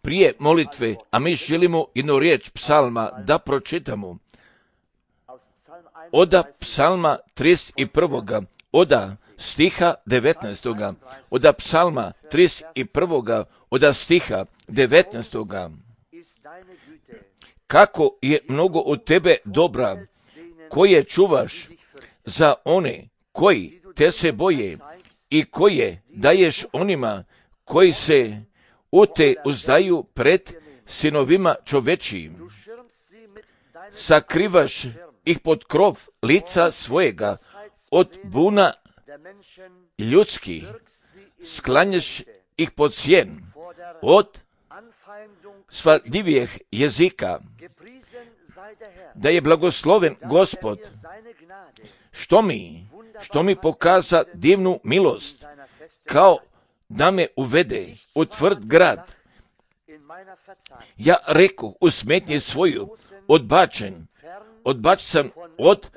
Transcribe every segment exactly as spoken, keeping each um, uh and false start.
Prije molitve, a mi želimo jednu riječ psalma da pročitamo. Oda psalma trideset jedan. Oda stiha devetnaestog. Oda psalma trideset jedan. Oda stiha devetnaestog. Kako je mnogo od tebe dobra, koje čuvaš za one koji te se boje i koje daješ onima koji se u te uzdaju pred sinovima čovečijim. Sakrivaš ih pod krov lica svojega od buna ljudskih, sklanjaš ih pod sjen od svadljivijeg jezika. Da je blagosloven Gospod, što mi, što mi pokaza divnu milost, kao da me uvede u tvrd grad. Ja rekoh u smetnji svoju, odbačen, odbačen sam od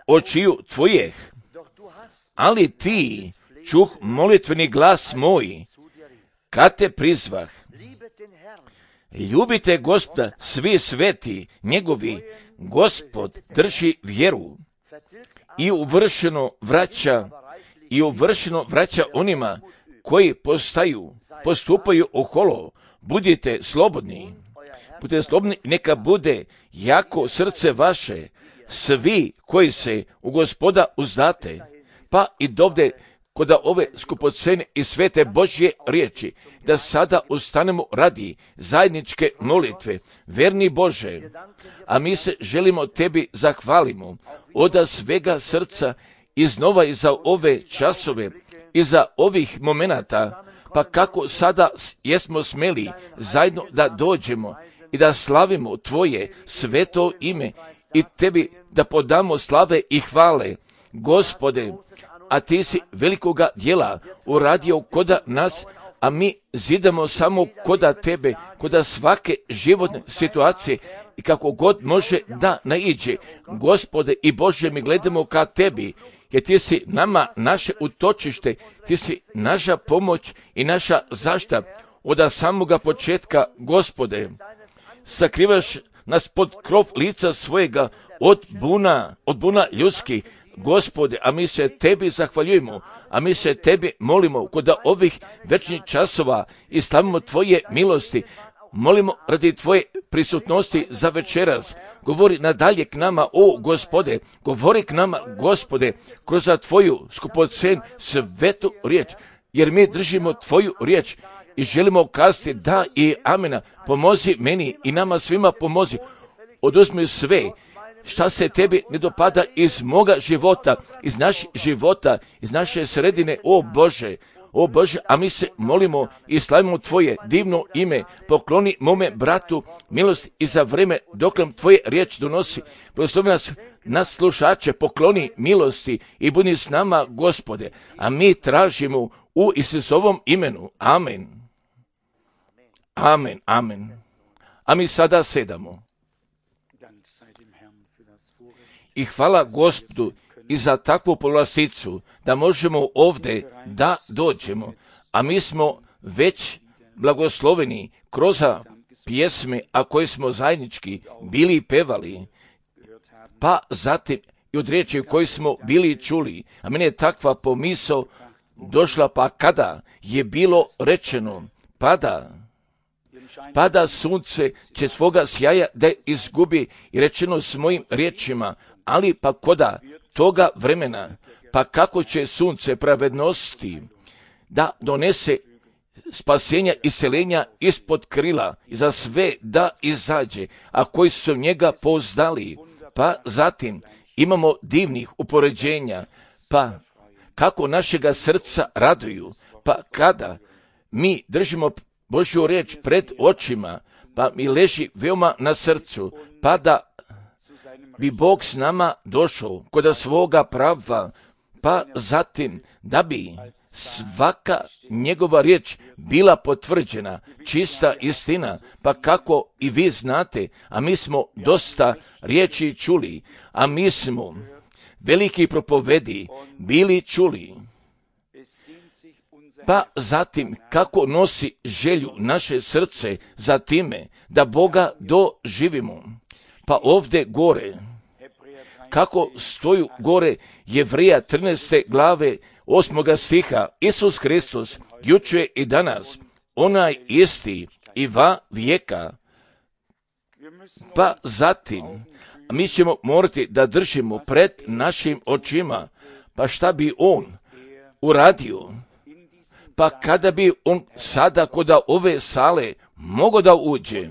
očiju tvojih, ali ti čuh molitveni glas moj, kad te prizvah. Ljubite Gospoda svi sveti njegovi, Gospod drži vjeru i uvršeno vraća i uvršeno vraća onima koji postaju, postupaju oholo. Budite slobodni, budite slobodni, neka bude jako srce vaše, svi koji se u Gospoda uzdate, pa i dovde kod ove skupocene i svete Božje riječi, da sada ustanemo radi zajedničke molitve. Verni Bože, a mi se želimo tebi zahvalimo od svega srca iznova i za ove časove i za ovih momenata, pa kako sada jesmo smeli zajedno da dođemo i da slavimo tvoje sveto ime i tebi da podamo slave i hvale. Gospode, a ti si velikoga djela uradio koda nas, a mi zidamo samo koda tebe, koda svake životne situacije i kako god može da naiđe. Gospode i Bože, mi gledamo ka tebi, jer ti si nama naše utočište, ti si naša pomoć i naša zaštita od samoga početka. Gospode, sakrivaš nas pod krov lica svojega od buna, od buna ljudskih. Gospode, a mi se tebi zahvaljujemo, a mi se tebi molimo kod ovih večnih časova i slavimo tvoje milosti. Molimo radi tvoje prisutnosti za večeras. Govori nadalje k nama, o Gospode, govori k nama, Gospode, kroz tvoju skupocen svetu riječ, jer mi držimo tvoju riječ i želimo kazati da i amena. Pomozi meni i nama svima pomozi. Oduzmi sve šta se tebi ne dopada iz moga života, iz naših života, iz naše sredine, o Bože, o Bože, a mi se molimo i slavimo tvoje divno ime. Pokloni mome bratu milost i za vreme dok nam tvoje riječ donosi. Blagoslovi nas, nas slušače, pokloni milosti i budi s nama, Gospode, a mi tražimo u Isusovom imenu. Amen. Amen, amen. A mi sada sedamo. I hvala Gospodu i za takvu povlasticu da možemo ovdje da dođemo, a mi smo već blagosloveni kroz pjesme, a koje smo zajednički bili i pevali, pa zatim i od riječi koje smo bili čuli. A meni je takva pomisao došla, pa kada je bilo rečeno pada, pada sunce će svoga sjaja da izgubi, i rečeno s mojim riječima, ali pa koda toga vremena, pa kako će sunce pravednosti da donese spasenja i seljenja ispod krila i za sve da izađe, a koji su njega pouzdali. Pa zatim imamo divnih upoređenja, pa kako našega srca raduju, pa kada mi držimo Božju riječ pred očima, pa mi leži veoma na srcu, pa da bi Bog s nama došao kod svoga prava, pa zatim da bi svaka njegova riječ bila potvrđena, čista istina, pa kako i vi znate, a mi smo dosta riječi čuli, a mi smo veliki propovedi bili čuli, pa zatim kako nosi želju naše srce za time da Boga doživimo. Pa ovdje gore, kako stoju gore Jevreja trinaeste glave osmoga stiha, Isus Hristos jučer i danas, onaj isti i va vijeka. Pa zatim mi ćemo morati da držimo pred našim očima, pa šta bi on uradio? Pa kada bi on sada kod ove sale mogao da uđe,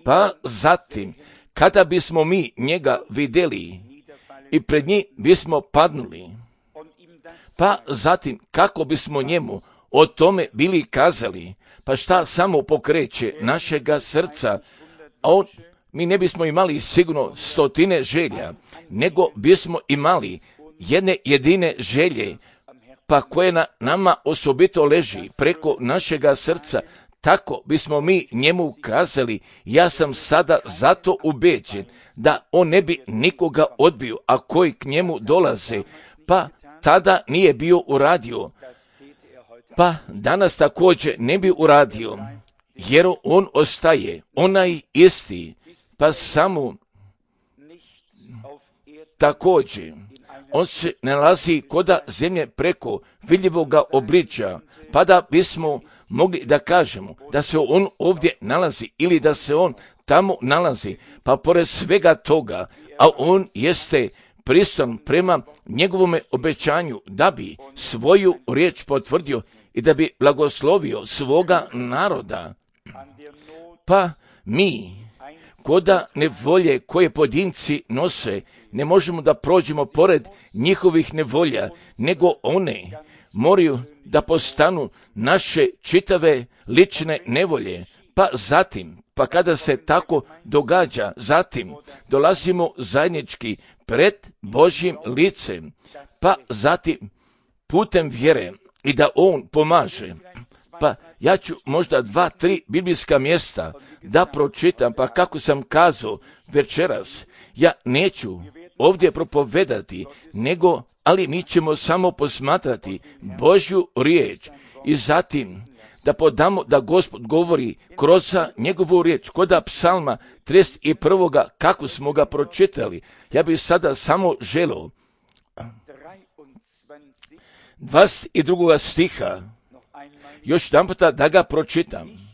pa zatim kada bismo mi njega vidjeli i pred njih bismo padnuli, pa zatim kako bismo njemu o tome bili kazali, pa šta samo pokreće našega srca, a on, mi ne bismo imali sigurno stotine želja, nego bismo imali jedne jedine želje, pa koje na nama osobito leži preko našega srca, tako bismo mi njemu kazali, ja sam sada zato ubeđen da on ne bi nikoga odbio, a koji k njemu dolaze, pa tada nije bio uradio, pa danas također ne bi uradio, jer on ostaje onaj isti, pa samo također on se nalazi koda zemlje preko vidljivoga obličja, pa da bismo mogli da kažemo da se on ovdje nalazi ili da se on tamo nalazi, pa pored svega toga, a on jeste pristojan prema njegovome obećanju da bi svoju riječ potvrdio i da bi blagoslovio svoga naroda. Pa mi, koda nevolje koje pojedinci nose, ne možemo da prođemo pored njihovih nevolja, nego one moraju da postanu naše čitave lične nevolje. Pa zatim, pa kada se tako događa, zatim dolazimo zajednički pred Božjim licem, pa zatim putem vjere i da on pomaže. Pa ja ću možda dva, tri biblijska mjesta da pročitam, pa kako sam kazao večeras, ja neću ovdje propovedati, nego, ali mi ćemo samo posmatrati Božju riječ i zatim da podamo da Gospod govori kroz njegovu riječ, koda psalma trideset jedan. kako smo ga pročitali. Ja bih sada samo želio dvadeset drugoga stiha još jedan puta da ga pročitam.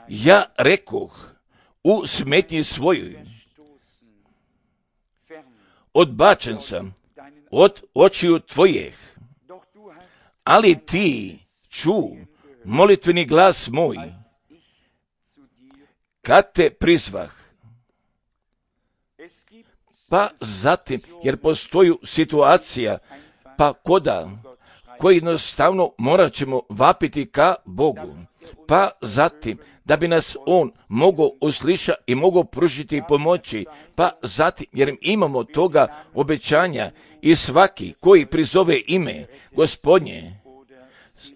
Ja rekoh u smetnji svojoj, odbačen sam od očiju tvojih, ali ti ču molitveni glas moj, kad te prizvah. Pa zatim, jer postoji situacija, pa koda, koji jednostavno morat ćemo vapiti ka Bogu. Pa zatim, da bi nas on mogao uslišati i mogao pružiti pomoći, pa zatim, jer imamo toga obećanja i svaki koji prizove ime Gospodnje,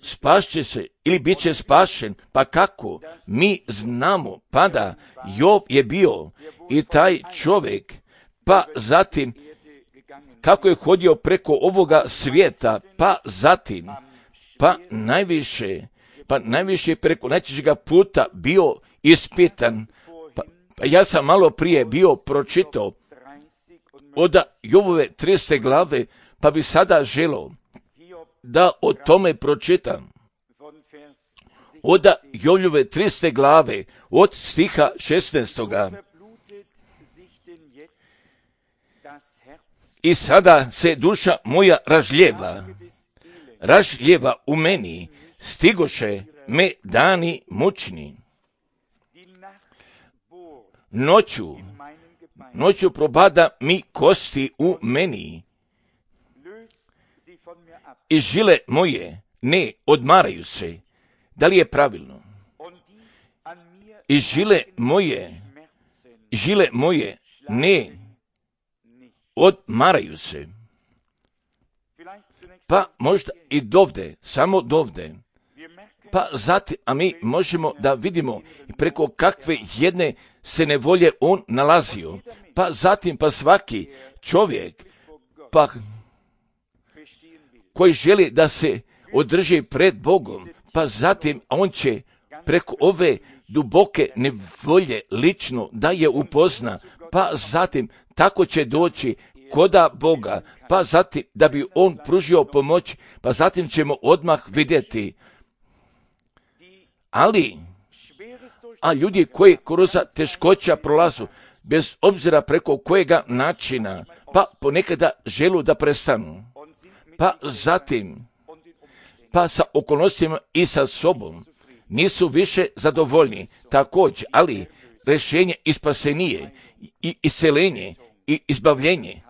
spašće se ili bit će spašen. Pa kako? Mi znamo, pa da Jov je bio i taj čovjek, pa zatim kako je hodio preko ovoga svijeta, pa zatim, pa najviše, pa najviše preko najčešćega puta bio ispitan. Pa, pa ja sam malo prije bio pročitao od Jovove tridesete glave, pa bi sada želio da o tome pročitam. Od Jovove tridesete glave, od stiha šesnaestoga. I sada se duša moja ražljeva, ražljeva u meni, stigoše me dani mučni. Noću, noću probada mi kosti u meni i žile moje ne odmaraju se. Da li je pravilno? I žile moje, žile moje ne odmaraju se. Pa možda i dovde, samo dovde. Pa zatim, a mi možemo da vidimo preko kakve jedne se nevolje on nalazio. Pa zatim, pa svaki čovjek, pa koji želi da se održi pred Bogom, pa zatim on će preko ove duboke nevolje lično da je upozna, pa zatim tako će doći koda Boga, pa zatim da bi on pružio pomoć, pa zatim ćemo odmah vidjeti. Ali, a ljudi koji kroz teškoća prolazu, bez obzira preko kojega načina, pa ponekada želu da prestanu, pa zatim, pa sa okolnostima i sa sobom, nisu više zadovoljni, također, ali rješenje i spasenije, i iscelenje, i izbavljenje,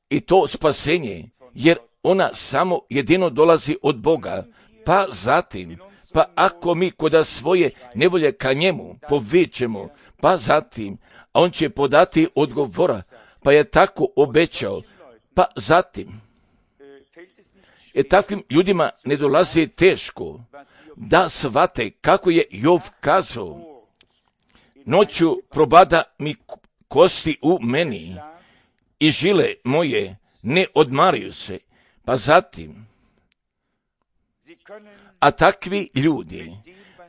i to spasenje, jer ona samo jedino dolazi od Boga, pa zatim, pa ako mi koda svoje nevolje ka njemu povičemo, pa zatim, a on će podati odgovora, pa je tako obećao, pa zatim, jer takvim ljudima ne dolazi teško da shvate kako je Jov kazao, noću probada mi kosti u meni i žile moje ne odmaraju se, pa zatim, a takvi ljudi,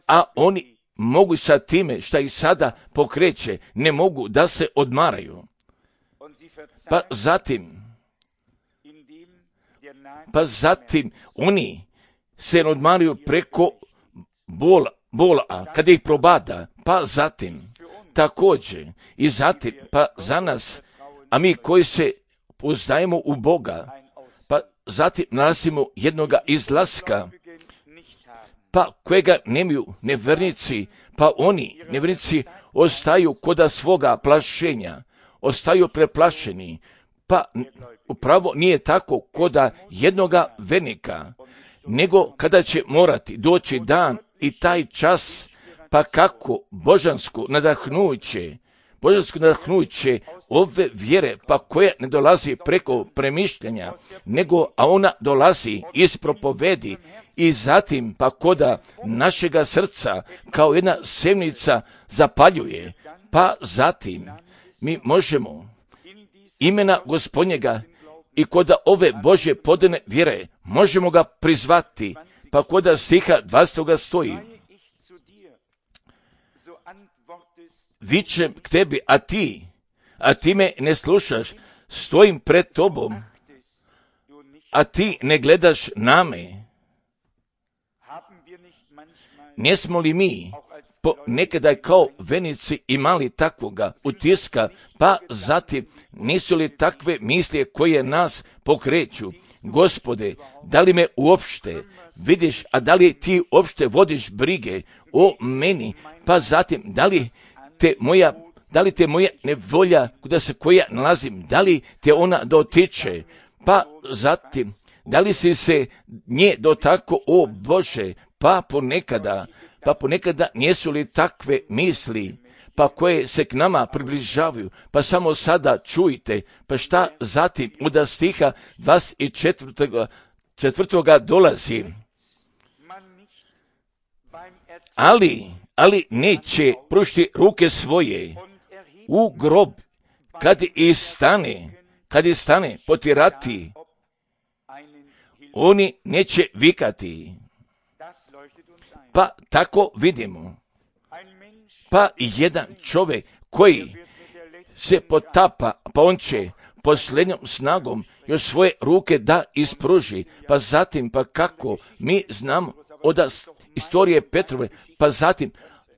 a oni mogu sa time šta ih sada pokreće, ne mogu da se odmaraju, pa zatim, pa zatim oni se odmaraju preko bola, bola kada ih probada, pa zatim, također, i zatim, pa za nas, a mi koji se poznajemo u Boga, pa zatim nalazimo jednoga izlaska, pa kojega nemaju nevjernici, pa oni, nevjernici, ostaju koda svoga plašenja, ostaju preplašeni, pa upravo nije tako koda jednoga vernika, nego kada će morati doći dan i taj čas, pa kako božansko nadahnuće, božansko nadahnuće ove vjere, pa koja ne dolazi preko premišljanja, nego a ona dolazi iz propovedi i zatim pa koda našega srca kao jedna semnica zapaljuje, pa zatim mi možemo imena Gospodnjega i koda ove Božje podane vjere možemo ga prizvati, pa koda stiha dvadeset stoji, vičem k tebi, a ti, a ti me ne slušaš, stojim pred tobom, a ti ne gledaš na me. Nismo li mi po nekada kao venici imali takvoga utiska, pa zatim nisu li takve misli koje nas pokreću? Gospode, da li me uopšte vidiš, a da li ti uopšte vodiš brige o meni, pa zatim da li te moja, da li te moja nevolja kuda se koja nalazim, da li te ona dotiče, pa zatim da li si se nje dotako, o Bože, pa ponekada, pa ponekada nisu li takve misli, pa koje se k nama približavaju, pa samo sada čujte, pa šta zatim od stiha dvadeset četvrtoga dolazi. Ali, ali neće pružiti ruke svoje u grob, kad i stane, kad i stane potirati, oni neće vikati. Pa tako vidimo, pa jedan čovjek koji se potapa, pa on će posljednjom snagom još svoje ruke da ispruži, pa zatim, pa kako mi znamo od istorije Petrove, pa zatim,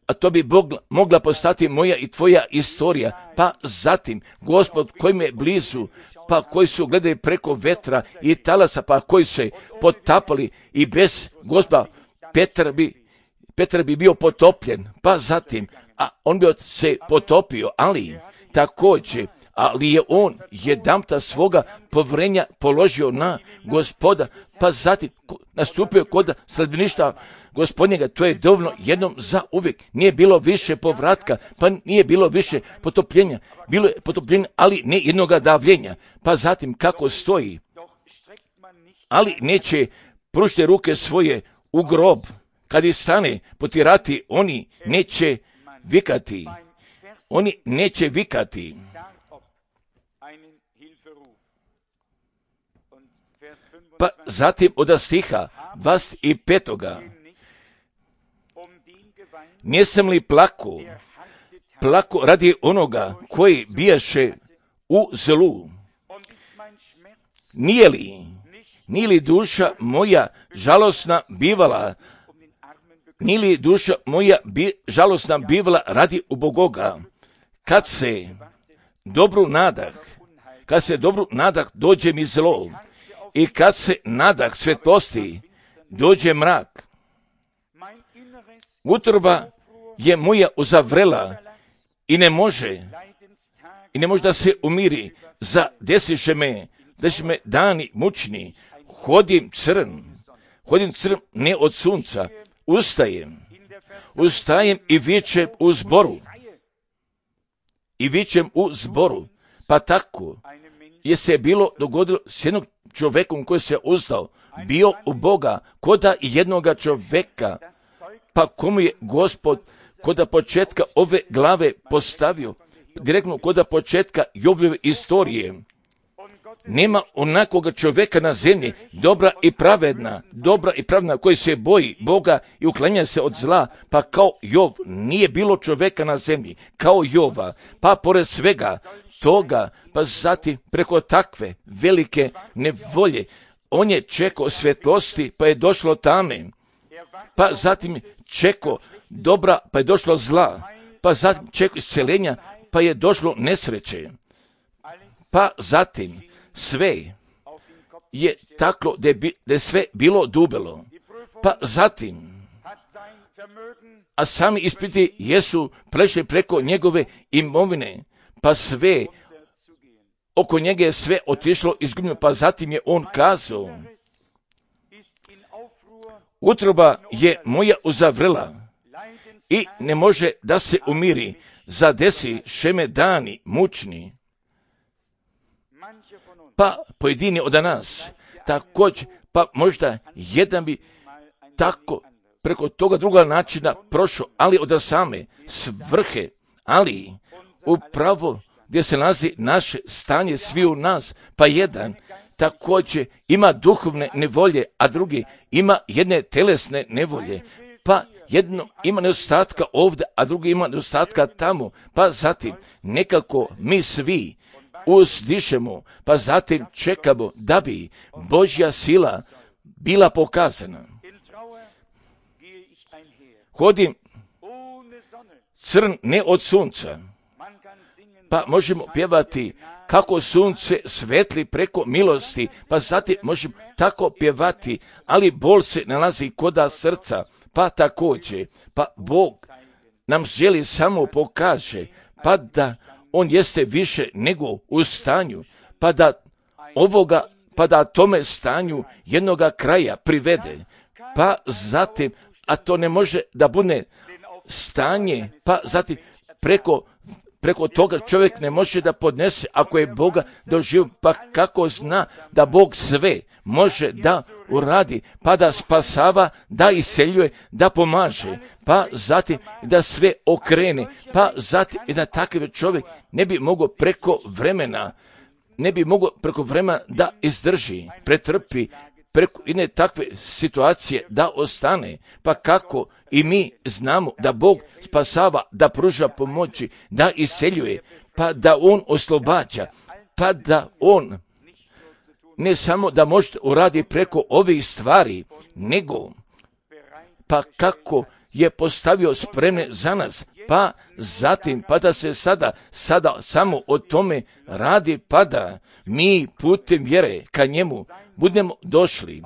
a to bi Bog, mogla postati moja i tvoja istorija, pa zatim, Gospod koji me blizu, pa koji su gledali preko vetra i talasa, pa koji se potapali i bez Gospoda, Petar bi, Petar bi bio potopljen, pa zatim, a on bi se potopio, ali također, ali je on jedanputa svoga povrenja položio na Gospoda, pa zatim nastupio kod sledbeništva Gospodnjega, to je dovoljno jednom za uvijek. Nije bilo više povratka, pa nije bilo više potopljenja, bilo je potopljenje, ali ne jednoga davljenja, pa zatim kako stoji, ali neće pružiti ruke svoje u grob, kad ih stane potirati, oni neće vikati, oni neće vikati. Pa Pa zatim od stiha dvadeset petoga Nisam li plako, plako radi onoga koji bijaše u zlu? Nije li, nije li duša moja žalosna bivala, nije li duša moja bi, žalosna bivala radi ubogoga, kad se dobru nadah, kad se dobru nadah dođe mi zlo i kad se nadah svetlosti dođe mrak. Utroba je moja uzavrela i ne može, i ne može da se umiri, za desiše me, da će me dani mučni, hodim crn, hodim crn ne od sunca, ustajem, ustajem i vičem u zboru, i vičem u zboru, pa tako je se bilo dogodilo s jednog čovjekom koji se uzdao, bio u Boga, koda jednoga čovjeka, pa komu je Gospod koda početka ove glave postavio, direktno koda početka Jobove istorije. Nema onakoga čovjeka na zemlji, dobra i pravedna, dobra i pravedna, koji se boji Boga i uklanja se od zla, pa kao Jov nije bilo čovjeka na zemlji, kao Jova, pa pored svega toga, pa zatim preko takve velike nevolje, on je čekao svjetlosti, pa je došlo tame, pa zatim čekao dobra, pa je došlo zla, pa zatim čekao isceljenja, pa je došlo nesreće, pa zatim sve je taklo da je, bi, da je sve bilo dubelo, pa zatim, a sami ispiti jesu prešli preko njegove imovine, pa sve, oko njega je sve otišlo izgubljeno, pa zatim je on kazao, utroba je moja uzavrela i ne može da se umiri, zadesi šeme dani mučni. Pa pojedini od nas, također, pa možda jedan bi tako preko toga druga načina prošao, ali od same svrhe, ali upravo gdje se nalazi naše stanje svi u nas, pa jedan također ima duhovne nevolje, a drugi ima jedne telesne nevolje, pa jedno ima nedostatka ovdje, a drugi ima nedostatka tamo, pa zatim nekako mi svi uzdišemo, pa zatim čekamo da bi Božja sila bila pokazana. Hodim crn ne od sunca, pa možemo pjevati kako sunce svetli preko milosti, pa zatim možemo tako pjevati, ali bol se nalazi koda srca, pa također, pa Bog nam želi samo pokaže, pa da on jeste više nego u stanju, pa da ovoga, pa da tome stanju jednoga kraja privede, pa zatim, a to ne može da bude stanje, pa zatim preko Preko toga čovjek ne može da podnese ako je Boga doživio, pa kako zna da Bog sve može da uradi, pa da spasava, da iseljuje, da pomaže, pa zatim da sve okrene, pa zatim i da takav čovjek ne bi mogao preko vremena, ne bi mogao preko vremena da izdrži, pretrpi, preko jedne takve situacije da ostane, pa kako i mi znamo da Bog spasava, da pruža pomoći, da iseljuje, pa da On oslobađa, pa da On ne samo da može uradi preko ovih stvari, nego pa kako je postavio spremne za nas, pa zatim, pa da se sada, sada samo o tome radi, pa da mi putem vjere ka njemu budemo došli,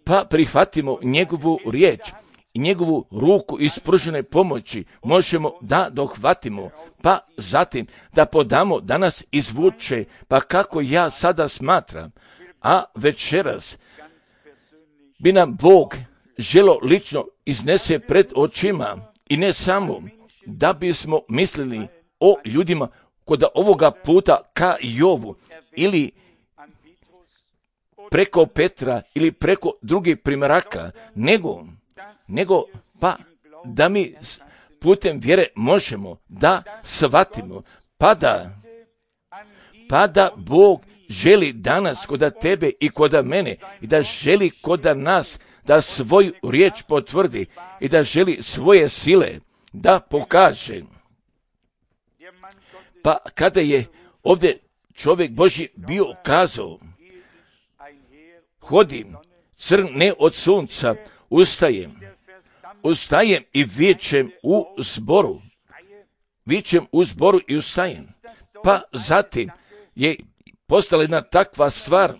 pa prihvatimo njegovu riječ i njegovu ruku ispružene pomoći, možemo da dohvatimo, pa zatim da podamo da nas izvuče, pa kako ja sada smatram, a večeras bi nam Bog želo lično iznese pred očima i ne samo da bismo mislili o ljudima kod ovoga puta ka Jovu ili preko Petra ili preko drugih primjeraka, nego, nego pa da mi putem vjere možemo da shvatimo, pa da, pa da Bog želi danas koda tebe i koda mene i da želi koda nas da svoju riječ potvrdi i da želi svoje sile da pokaže. Pa kada je ovdje čovjek Božji bio kazao, hodim crn ne od sunca, ustajem, ustajem i vičem u zboru, vičem u zboru i ustajem. Pa zatim je postala jedna takva stvar,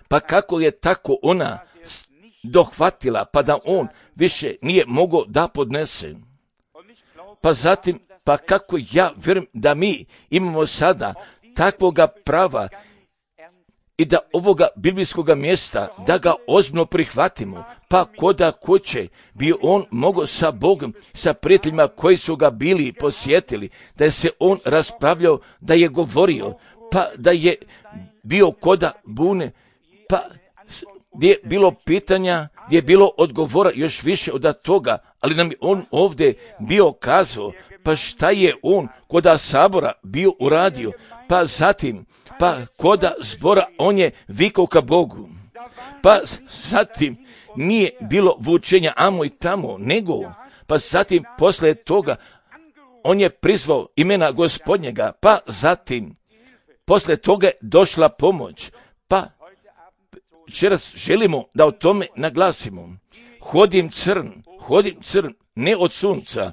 pa kako je tako ona dohvatila, pa da on više nije mogao da podnese. Pa zatim, pa kako ja vjerujem da mi imamo sada takvoga prava i da ovoga biblijskoga mjesta, da ga ozbiljno prihvatimo, pa koda kuće bi on mogao sa Bogom, sa prijateljima koji su ga bili posjetili, da je se on raspravljao, da je govorio, pa da je bio koda bune, pa gdje je bilo pitanja, gdje je bilo odgovora još više od toga, ali nam je on ovdje bio kazao, pa šta je on koda sabora bio uradio, pa zatim, pa koda zbora on je vikao ka Bogu, pa zatim nije bilo vučenja amo i tamo, nego, pa zatim posle toga on je prizvao imena Gospodnjega, pa zatim posle toga je došla pomoć, pa večeras želimo da o tome naglasimo. Hodim crn, hodim crn, ne od sunca,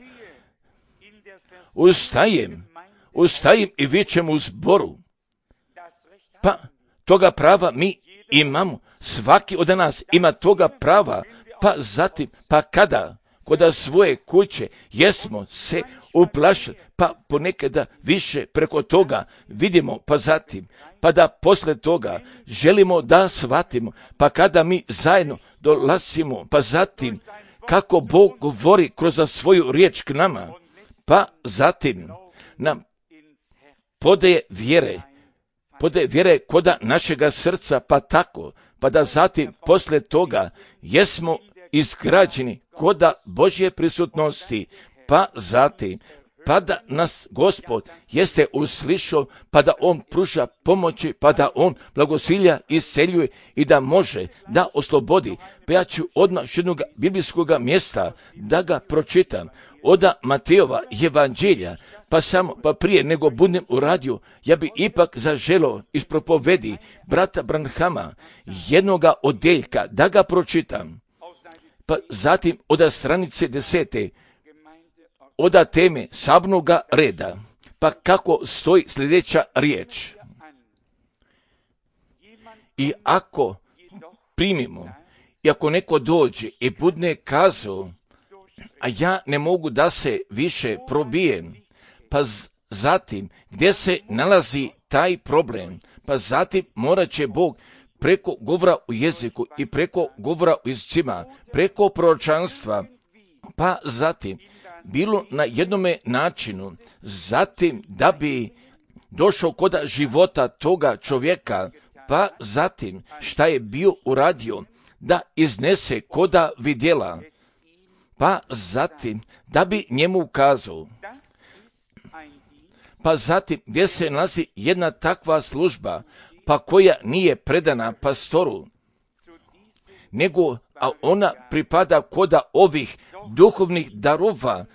ustajem, ustajem i vičem u zboru. Pa toga prava mi imamo, svaki od nas ima toga prava, pa zatim, pa kada, koda svoje kuće jesmo se uplašili, pa ponekada više preko toga vidimo, pa zatim, pa da posle toga želimo da shvatimo, pa kada mi zajedno dolazimo, pa zatim, kako Bog govori kroz svoju riječ k nama, pa zatim nam podaje vjere, podaje vjere koda našega srca, pa tako, pa da zatim posle toga jesmo izgrađeni koda Božje prisutnosti, pa zatim, pa da nas Gospod jeste uslišao, pa da on pruža pomoći, pa da on blagosilja, isceljuje i da može da oslobodi. Pa ja ću odmah još jednog biblijskog mjesta da ga pročitam, oda Matejova evanđelja, pa samo, pa prije nego budem uradio, ja bi ipak zaželo iz propovedi brata Branhama jednoga odeljka da ga pročitam. Pa zatim oda stranice desete, oda teme sabnoga reda, pa kako stoji sljedeća riječ. I ako primimo, i ako neko dođe i budne kazao, a ja ne mogu da se više probijem, pa z- zatim gdje se nalazi taj problem, pa zatim morat će Bog preko govora u jeziku i preko govora u jezicima, preko proročanstva, pa zatim bilo na jednome načinu, zatim da bi došao koda života toga čovjeka, pa zatim šta je bio uradio, da iznese koda vidjela, pa zatim da bi njemu ukazao, pa zatim gdje se nalazi jedna takva služba, pa koja nije predana pastoru, nego a ona pripada koda ovih duhovnih darova,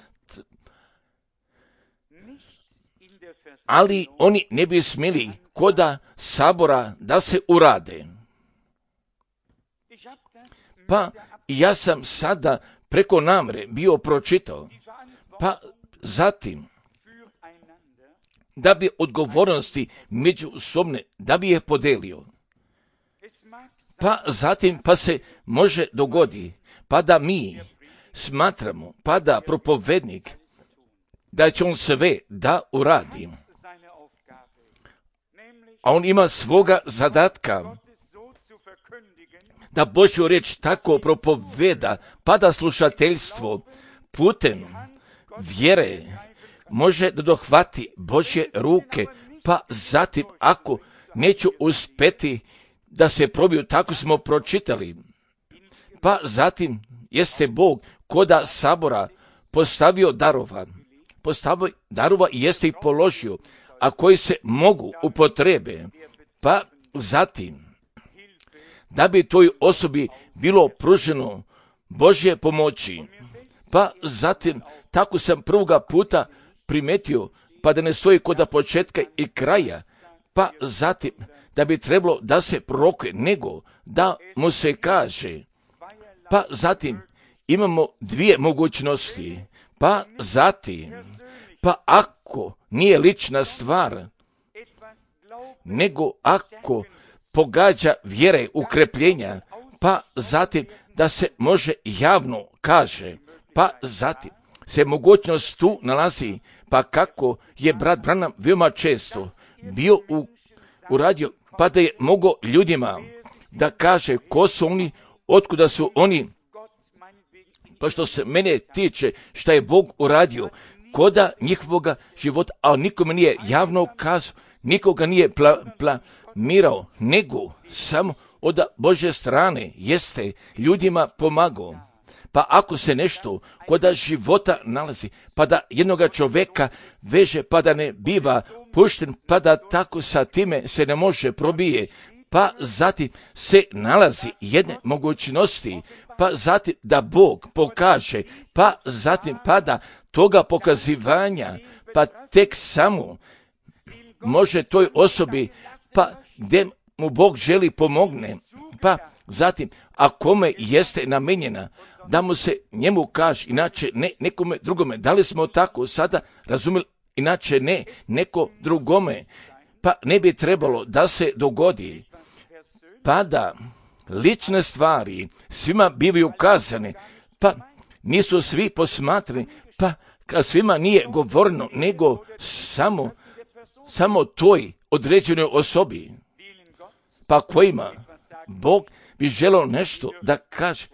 ali oni ne bi smjeli koda sabora da se urade. Pa ja sam sada preko namre bio pročitao, pa zatim da bi odgovornosti međusobne, da bi je podelio. Pa zatim, pa se može dogodi, pa da mi smatramo, pa da propovednik, da će on sve da uradi. A on ima svoga zadatka, da Božju riječ tako propoveda, pa da slušateljstvo putem vjere može da dohvati Božje ruke, pa zatim ako neću uspeti da se probiju, tako smo pročitali, pa zatim jeste Bog koda sabora postavio darova, postavio darova i jeste ih položio, a koji se mogu upotrebe, pa zatim da bi toj osobi bilo pruženo Božje pomoći. Pa zatim, tako sam prvoga puta primetio, pa da ne stoji kod početka i kraja, pa zatim da bi trebalo da se prorokuje, nego da mu se kaže. Pa zatim imamo dvije mogućnosti, pa zatim, pa ako nije lična stvar, nego ako pogađa vjere ukrepljenja, pa zatim da se može javno kaže, pa zatim se mogućnost tu nalazi, pa kako je brat Branham veoma često bio u, uradio, pa da je mogao ljudima da kaže ko su oni, otkuda su oni, pa što se mene tiče šta je Bog uradio koda njihovoga života, a nikome nije javno kazao, nikoga nije pla, plamirao, nego samo od Božje strane jeste ljudima pomagao. Pa ako se nešto koda života nalazi, pa da jednoga čovjeka veže, pa da ne biva pušten, pa da tako sa time se ne može probije, pa zatim se nalazi jedne mogućnosti, pa zatim da Bog pokaže, pa zatim pa da toga pokazivanja, pa tek samo može toj osobi, pa gdje mu Bog želi pomogne, pa zatim, a kome jeste namenjena, da mu se njemu kaže, inače ne nekome drugome. Da li smo tako sada razumjeli? Inače ne, neko drugome. Pa ne bi trebalo da se dogodi, pa da lične stvari svima bivaju kazane, pa nisu svi posmatrani, pa kad svima nije govoreno, nego samo, samo toj određenoj osobi, pa kojima Bog bi želio nešto da kaže,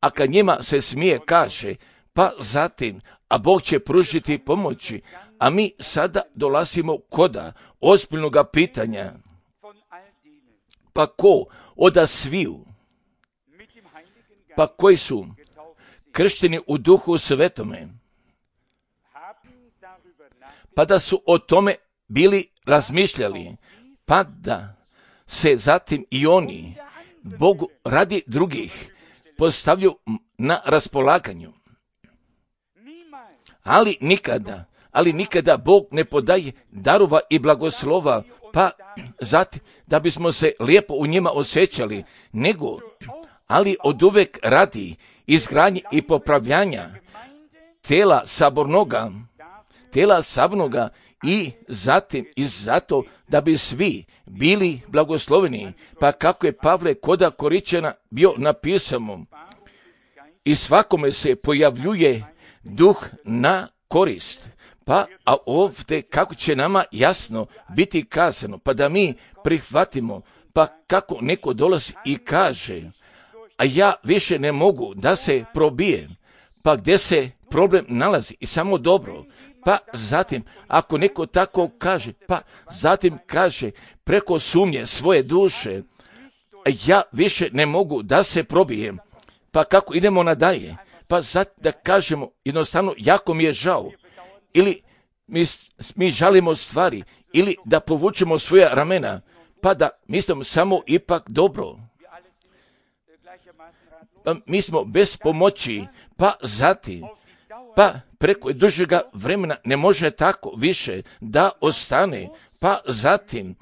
a kad njima se smije kaže, pa zatim, a Bog će pružiti pomoći, a mi sada dolazimo koda ozbiljnog pitanja, pa ko oda sviju, pa koji su kršteni u Duhu Svetome, pa da su o tome bili razmišljali, pa da se zatim i oni Bogu radi drugih postavljaju na raspolaganju. Ali nikada, ali nikada Bog ne podaje darova i blagoslova, pa zatim da bismo se lijepo u njima osjećali, nego, ali oduvek radi izgradnje i popravljanja tela sabornoga, tela sabornoga i zatim i zato da bi svi bili blagosloveni, pa kako je Pavle koda Koričana bio napisano, i svakome se pojavljuje duh na korist. Pa a ovdje kako će nama jasno biti kazano, pa da mi prihvatimo, pa kako neko dolazi i kaže, a ja više ne mogu da se probijem, pa gdje se problem nalazi i samo dobro, pa zatim ako neko tako kaže, pa zatim kaže preko sumnje svoje duše, ja više ne mogu da se probijem, pa kako idemo nadalje, pa zatim da kažemo jednostavno jako mi je žao, ili mi, mi žalimo stvari, ili da povučemo svoja ramena, pa da mislimo samo ipak dobro. Pa mi smo bez pomoći, pa zatim, pa preko dužega vremena ne može tako više da ostane, pa zatim,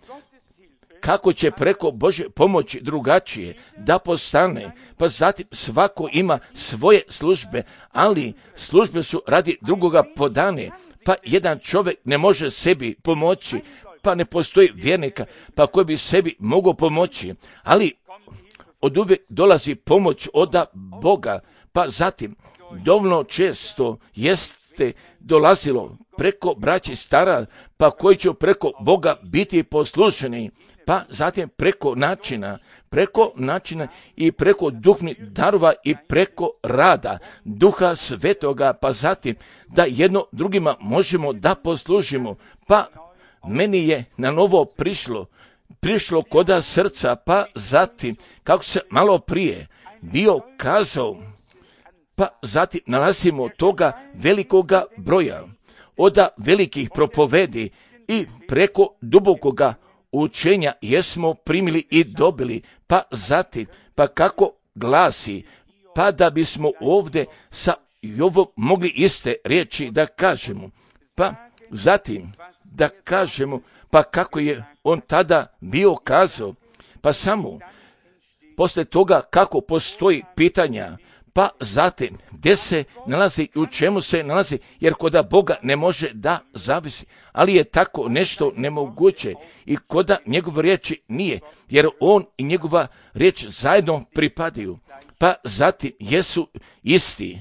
kako će preko Božje pomoći drugačije da postane, pa zatim svako ima svoje službe, ali službe su radi drugoga podane, pa jedan čovjek ne može sebi pomoći, pa ne postoji vjernika, pa koji bi sebi mogao pomoći, ali od uvijek dolazi pomoć od Boga, pa zatim dovoljno često jeste dolazilo preko braći stara, pa koji će preko Boga biti poslušani, pa zatim preko načina, preko načina i preko duhovnih darova i preko rada Duha Svetoga, pa zatim da jedno drugima možemo da poslužimo, pa meni je na novo prišlo, prišlo koda srca, pa zatim, kako se malo prije bio kazao, pa zatim nalazimo toga velikoga broja, od velikih propovedi i preko dubokoga učenja jesmo primili i dobili, pa zatim, pa kako glasi, pa da bismo ovdje sa Jovom mogli iste riječi da kažemo, pa zatim da kažemo, pa kako je on tada bio kazao, pa samo poslije toga kako postoji pitanja, pa zatim gdje se nalazi i u čemu se nalazi, jer koda Boga ne može da zavisi, ali je tako nešto nemoguće i koda njegove riječi nije, jer on i njegova riječ zajedno pripadaju, pa zatim jesu isti.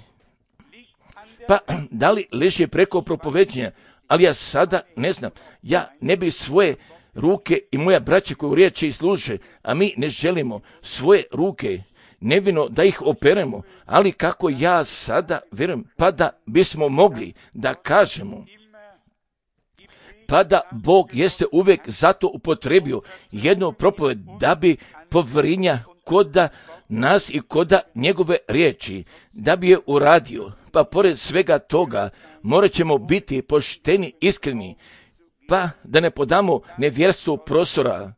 Pa da li leži preko propoveđenja, ali ja sada ne znam, ja ne bi svoje ruke i moja braća koju riječi služe, a mi ne želimo svoje ruke nevino da ih operemo, ali kako ja sada vjerujem, pa da bismo mogli da kažemo, pa da Bog jeste uvijek zato upotrebio jednu propoved da bi povrinja koda nas i koda njegove riječi, da bi je uradio. Pa pored svega toga morat ćemo biti pošteni, iskreni, pa da ne podamo nevjerstvu prostora,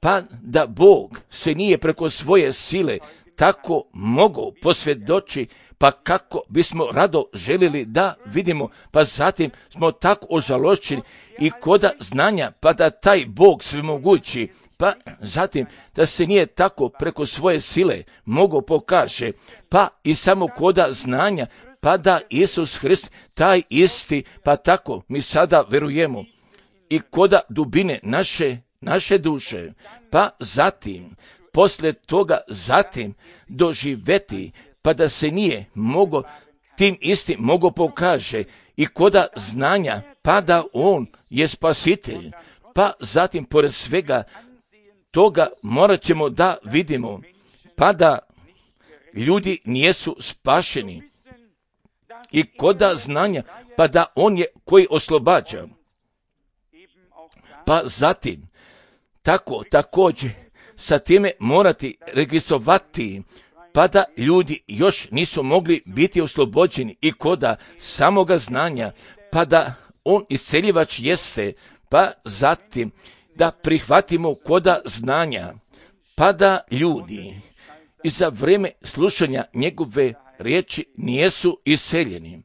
pa da Bog se nije preko svoje sile tako mogao posvjedoči, pa kako bismo rado željeli da vidimo, pa zatim smo tako ožalošćeni i koda znanja, pa da taj Bog svemogući, pa zatim da se nije tako preko svoje sile mogao pokaže, pa i samo koda znanja, pa da Isus Hrist taj isti, pa tako mi sada verujemo i koda dubine naše, naše duše, pa zatim poslije toga zatim doživeti, pa da se nije mogo tim istim mogo pokaže i koda znanja, pa da on je spasitelj, pa zatim pored svega toga morat ćemo da vidimo, pa da ljudi nijesu spašeni i koda znanja, pa da on je koji oslobađa, pa zatim tako također sa time morati registrovati, pa da ljudi još nisu mogli biti oslobođeni i koda samoga znanja, pa da on isceljivač jeste, pa zatim da prihvatimo koda znanja, pa da ljudi i za vrijeme slušanja njegove riječi nijesu iseljeni.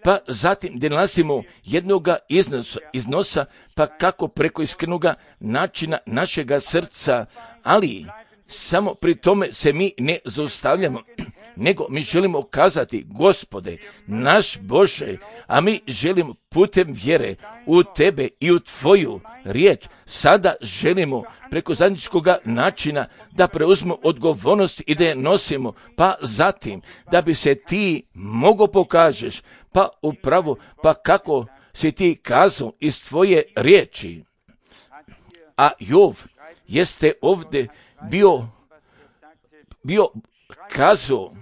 Pa zatim da nalazimo jednoga iznosa, iznosa, pa kako preko iskrenoga načina našega srca, ali samo pri tome se mi ne zaustavljamo, nego mi želimo kazati, Gospode, naš Bože, a mi želimo putem vjere u Tebe i u Tvoju riječ, sada želimo preko zajedničkog načina da preuzmemo odgovornost i da je nosimo, pa zatim da bi se Ti mogo pokažeš, pa upravo, pa kako si Ti kazao iz Tvoje riječi. A Jov jeste ovdje bio, bio kazao,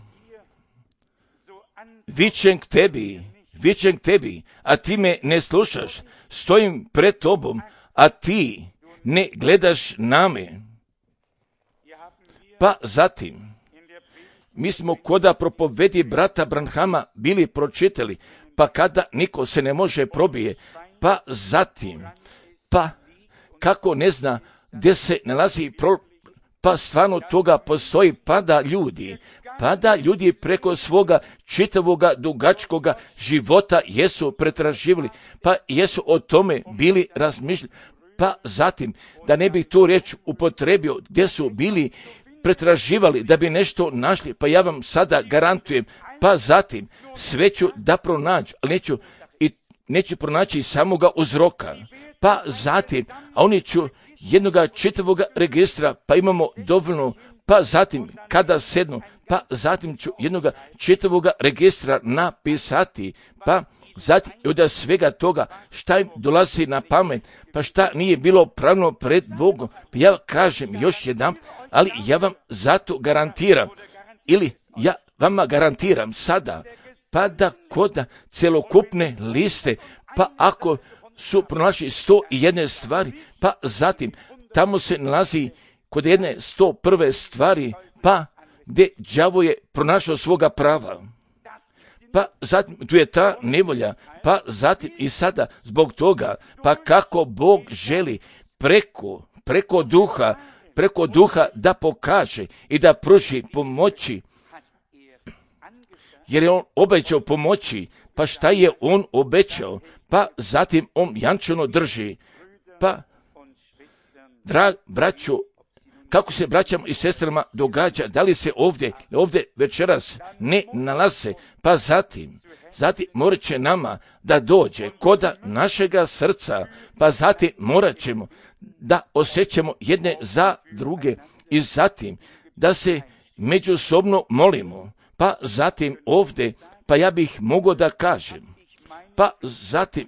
vičem k tebi, vičem k tebi, a ti me ne slušaš, stojim pred tobom, a ti ne gledaš na me. Pa zatim, mi smo koda propovedi brata Branhama bili pročitali, pa kada niko se ne može probije, pa zatim, pa kako ne zna gdje se nalazi pro, pa stvarno toga postoji, pa da ljudi, pa da ljudi preko svoga čitavoga dugačkoga života jesu pretraživali, pa jesu o tome bili razmišljali, pa zatim da ne bi tu riječ upotrebio gdje su bili pretraživali da bi nešto našli, pa ja vam sada garantujem, pa zatim sve ću da pronađu, ali neću, i neću pronaći samoga uzroka, pa zatim, a oni ću jednoga čitavoga registra, pa imamo dovoljno, pa zatim kada sednu, pa zatim ću jednoga čitavoga registra napisati, pa zatim od svega toga šta im dolazi na pamet, pa šta nije bilo pravno pred Bogom, pa ja kažem još jedan, ali ja vam zato garantiram, ili ja vama garantiram sada, pa da koda celokupne liste, pa ako su pronašli sto i jedne stvari, pa zatim tamo se nalazi kod jedne sto prve stvari, pa gdje đavo je pronašao svoga prava. pa zatim tu je ta nevolja, pa zatim i sada zbog toga, pa kako Bog želi preko, preko duha, preko duha da pokaže i da pruži pomoći, jer je on obećao pomoći, pa šta je on obećao, pa zatim on jančano drži, pa drag braćo, kako se braćama i sestrama događa, da li se ovdje, ovdje večeras ne nalaze, pa zatim, zatim morat će nama da dođe koda našega srca, pa zatim morat ćemo da osjećamo jedne za druge i zatim da se međusobno molimo, pa zatim ovdje, pa ja bih mogao da kažem, pa zatim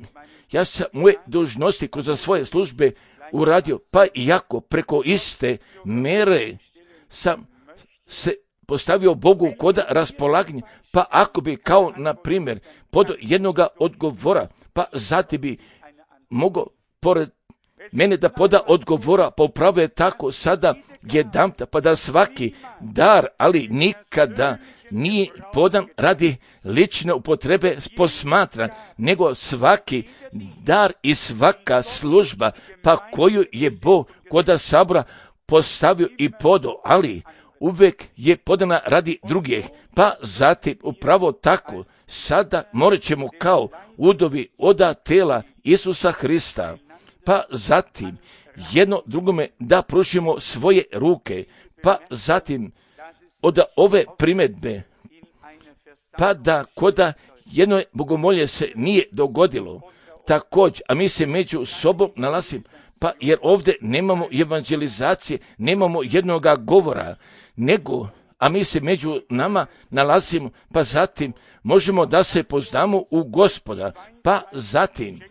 ja sam moje dužnosti kroz svoje službe uradio, pa iako preko iste mere sam se postavio Bogu koda raspolaganja, pa ako bi kao na primjer pod jednoga odgovora, pa zatim bi mogao pored mene da poda odgovora, pa upravo je tako sada jedanput, pa da svaki dar, ali nikada nije podan radi lične upotrebe posmatran, nego svaki dar i svaka služba, pa koju je Bog koda sabora postavio i podao, ali uvijek je podana radi drugih, pa zatim upravo tako sada morat ćemo kao udovi oda tela Isusa Hrista, pa zatim jedno drugome da pružimo svoje ruke, pa zatim od ove primjedbe, pa da koda jedno bogomolje se nije dogodilo, također, a mi se među sobom nalazimo, pa jer ovdje nemamo evangelizacije, nemamo jednoga govora, nego, a mi se među nama nalazimo, pa zatim možemo da se poznamo u Gospoda, pa zatim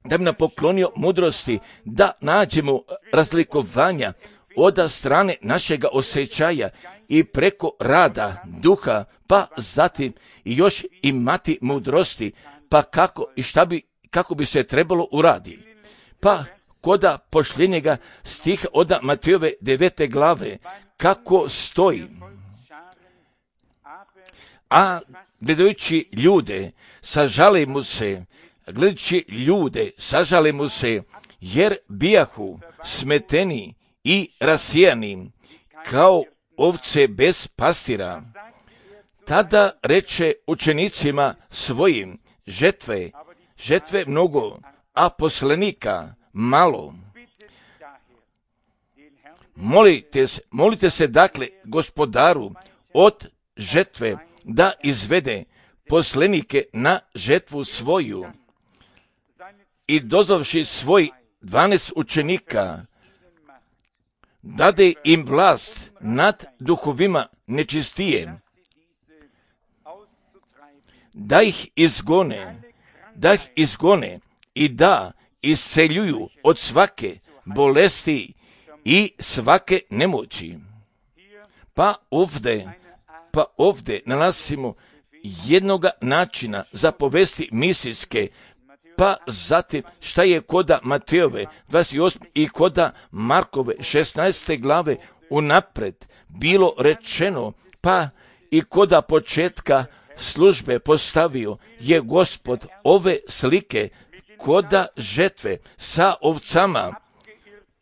da bi nam poklonio mudrosti, da nađemo razlikovanja od strane našega osjećaja i preko rada duha, pa zatim i još imati mudrosti, pa kako i šta bi, kako bi se trebalo uraditi. Pa koda pošljenjega stiha od Matejove devete glave, kako stoji. A gledajući ljude, sažali mu se, gledajući ljude, sažali mu se, jer bijahu smeteni i rasijani, kao ovce bez pastira. Tada reče učenicima svojim, žetve, žetve mnogo, a poslanika malo. Molite se, molite se dakle Gospodaru od žetve da izvede poslanike na žetvu svoju. I dozvavši svoj dvanaest učenika, dade im vlast nad duhovima nečistije, da ih izgone, da ih izgone i da isceljuju od svake bolesti i svake nemoći. Pa ovdje, pa ovdje nalazimo jednoga načina za povesti misijske, pa zatim šta je koda Matejove dvadeset osme i koda Markove šesnaeste glave unapred bilo rečeno, pa i koda početka službe postavio je Gospod ove slike koda žetve sa ovcama,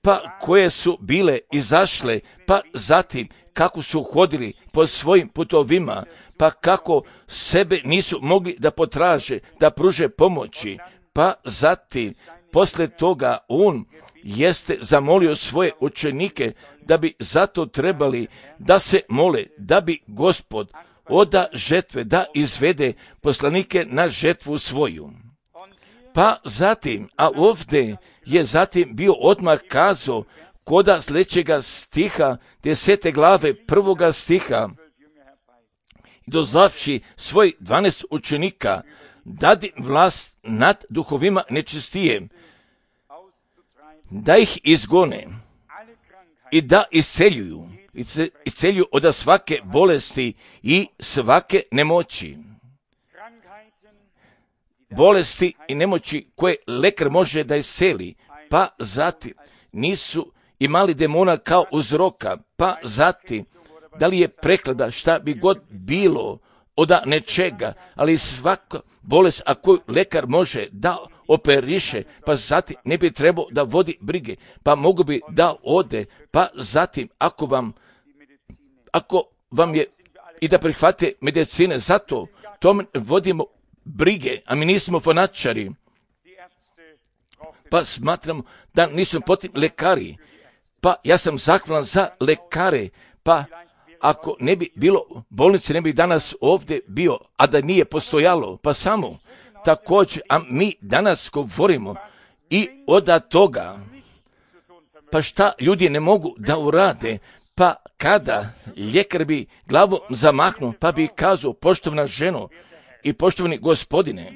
pa koje su bile izašle, pa zatim kako su hodili po svojim putovima, pa kako sebe nisu mogli da potraže, da pruže pomoći, pa zatim posle toga on jeste zamolio svoje učenike da bi zato trebali da se mole, da bi Gospod oda žetve da izvede poslanike na žetvu svoju. Pa zatim, a ovdje je zatim bio odmah kazao koda sljedećega stiha, desete glave prvoga stiha, dozvavši svoj dvanaest učenika, dadi vlast nad duhovima nečistije, da ih izgone i da isceljuju, isceljuju od svake bolesti i svake nemoći. Bolesti i nemoći koje lekar može da isceli, pa zatim nisu imali demona kao uzroka, pa zatim da li je preklada šta bi god bilo od nečega, ali svaka bolest, ako lekar može da operiše, pa zatim ne bi trebao da vodi brige, pa mogu bi da ode, pa zatim ako vam, ako vam je i da prihvate medicine, zato tom vodimo brige, a mi nismo fanatičari, pa smatramo da nismo potrebni lekari, pa ja sam zahvalan za lekare, pa ako ne bi bilo bolnice, ne bi danas ovdje bio, a da nije postojalo, pa samo također, a mi danas govorimo i od toga, pa šta ljudi ne mogu da urade, pa kada ljekar bi glavom zamahnuo, pa bi kazao, poštovana ženo i poštovani gospodine,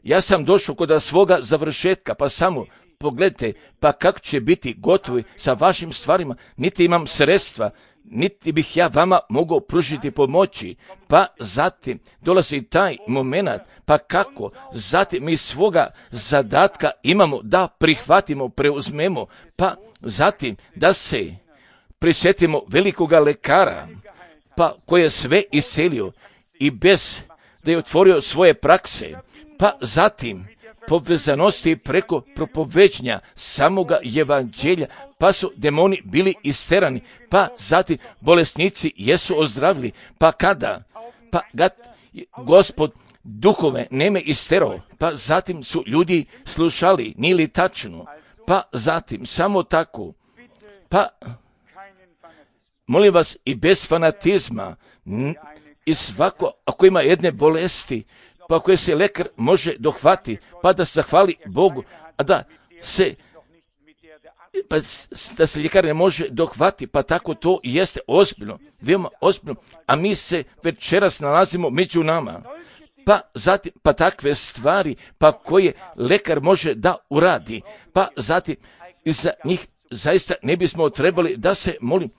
ja sam došao kod svoga završetka, pa samo pogledajte, pa kako će biti gotovi sa vašim stvarima, niti imam sredstva, niti bih ja vama mogao pružiti pomoći, pa zatim dolazi taj moment, pa kako, zatim mi svoga zadatka imamo da prihvatimo, preuzmemo, pa zatim da se prisjetimo velikoga lekara, pa koji je sve iscelio i bez da je otvorio svoje prakse, pa zatim povezanosti preko propoveđenja samoga evanđelja, pa su demoni bili isterani, pa zatim bolesnici jesu ozdravili, pa kada, pa kad Gospod duhove neme isterao, pa zatim su ljudi slušali, nije li tačno, pa zatim samo tako, pa molim vas i bez fanatizma i svako ako ima jedne bolesti, pa koje se lekar može dohvati, pa da se zahvali Bogu, a da se pa da se ljekar ne može dohvati, pa tako to jeste ozbiljno, veoma ozbiljno, a mi se večeras nalazimo među nama, pa zatim, pa takve stvari, pa koje lekar može da uradi, pa zatim i za njih zaista ne bismo trebali da se molim.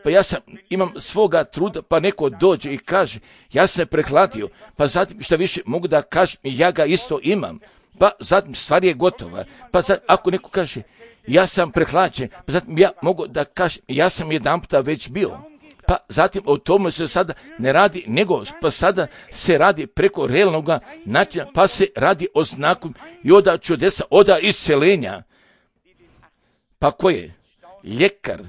Pa ja sam, imam svoga truda, pa neko dođe i kaže, ja sam prehladio, pa zatim šta više mogu da kažem, ja ga isto imam, pa zatim stvar je gotova, pa zatim, ako neko kaže, ja sam prehlađen, pa zatim ja mogu da kažem, ja sam jedan puta već bio, pa zatim o tome se sada ne radi, nego pa sada se radi preko realnog načina, pa se radi o znaku i oda čudesa, oda iscelenja, pa koje? Ljekar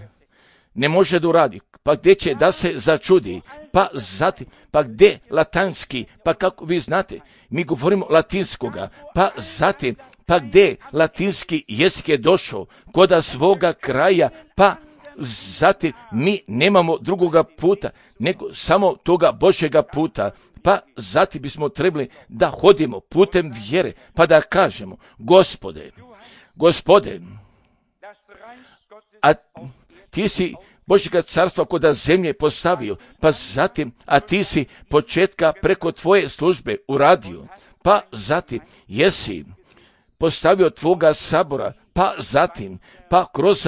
ne može da uradi, pa gdje će da se začudi, pa zatim, pa gdje latinski, pa kako vi znate, mi govorimo latinskoga, pa zatim, pa gdje latinski jezik je došao, kod svoga kraja, pa zatim mi nemamo drugoga puta, nego samo toga Božjega puta, pa zatim bismo trebali da hodimo putem vjere, pa da kažemo, Gospode, Gospode, a ti si Božjega carstva kod zemlje postavio, pa zatim, a ti si početka preko tvoje službe uradio, pa zatim jesi postavio tvoga sabora, pa zatim, pa kroz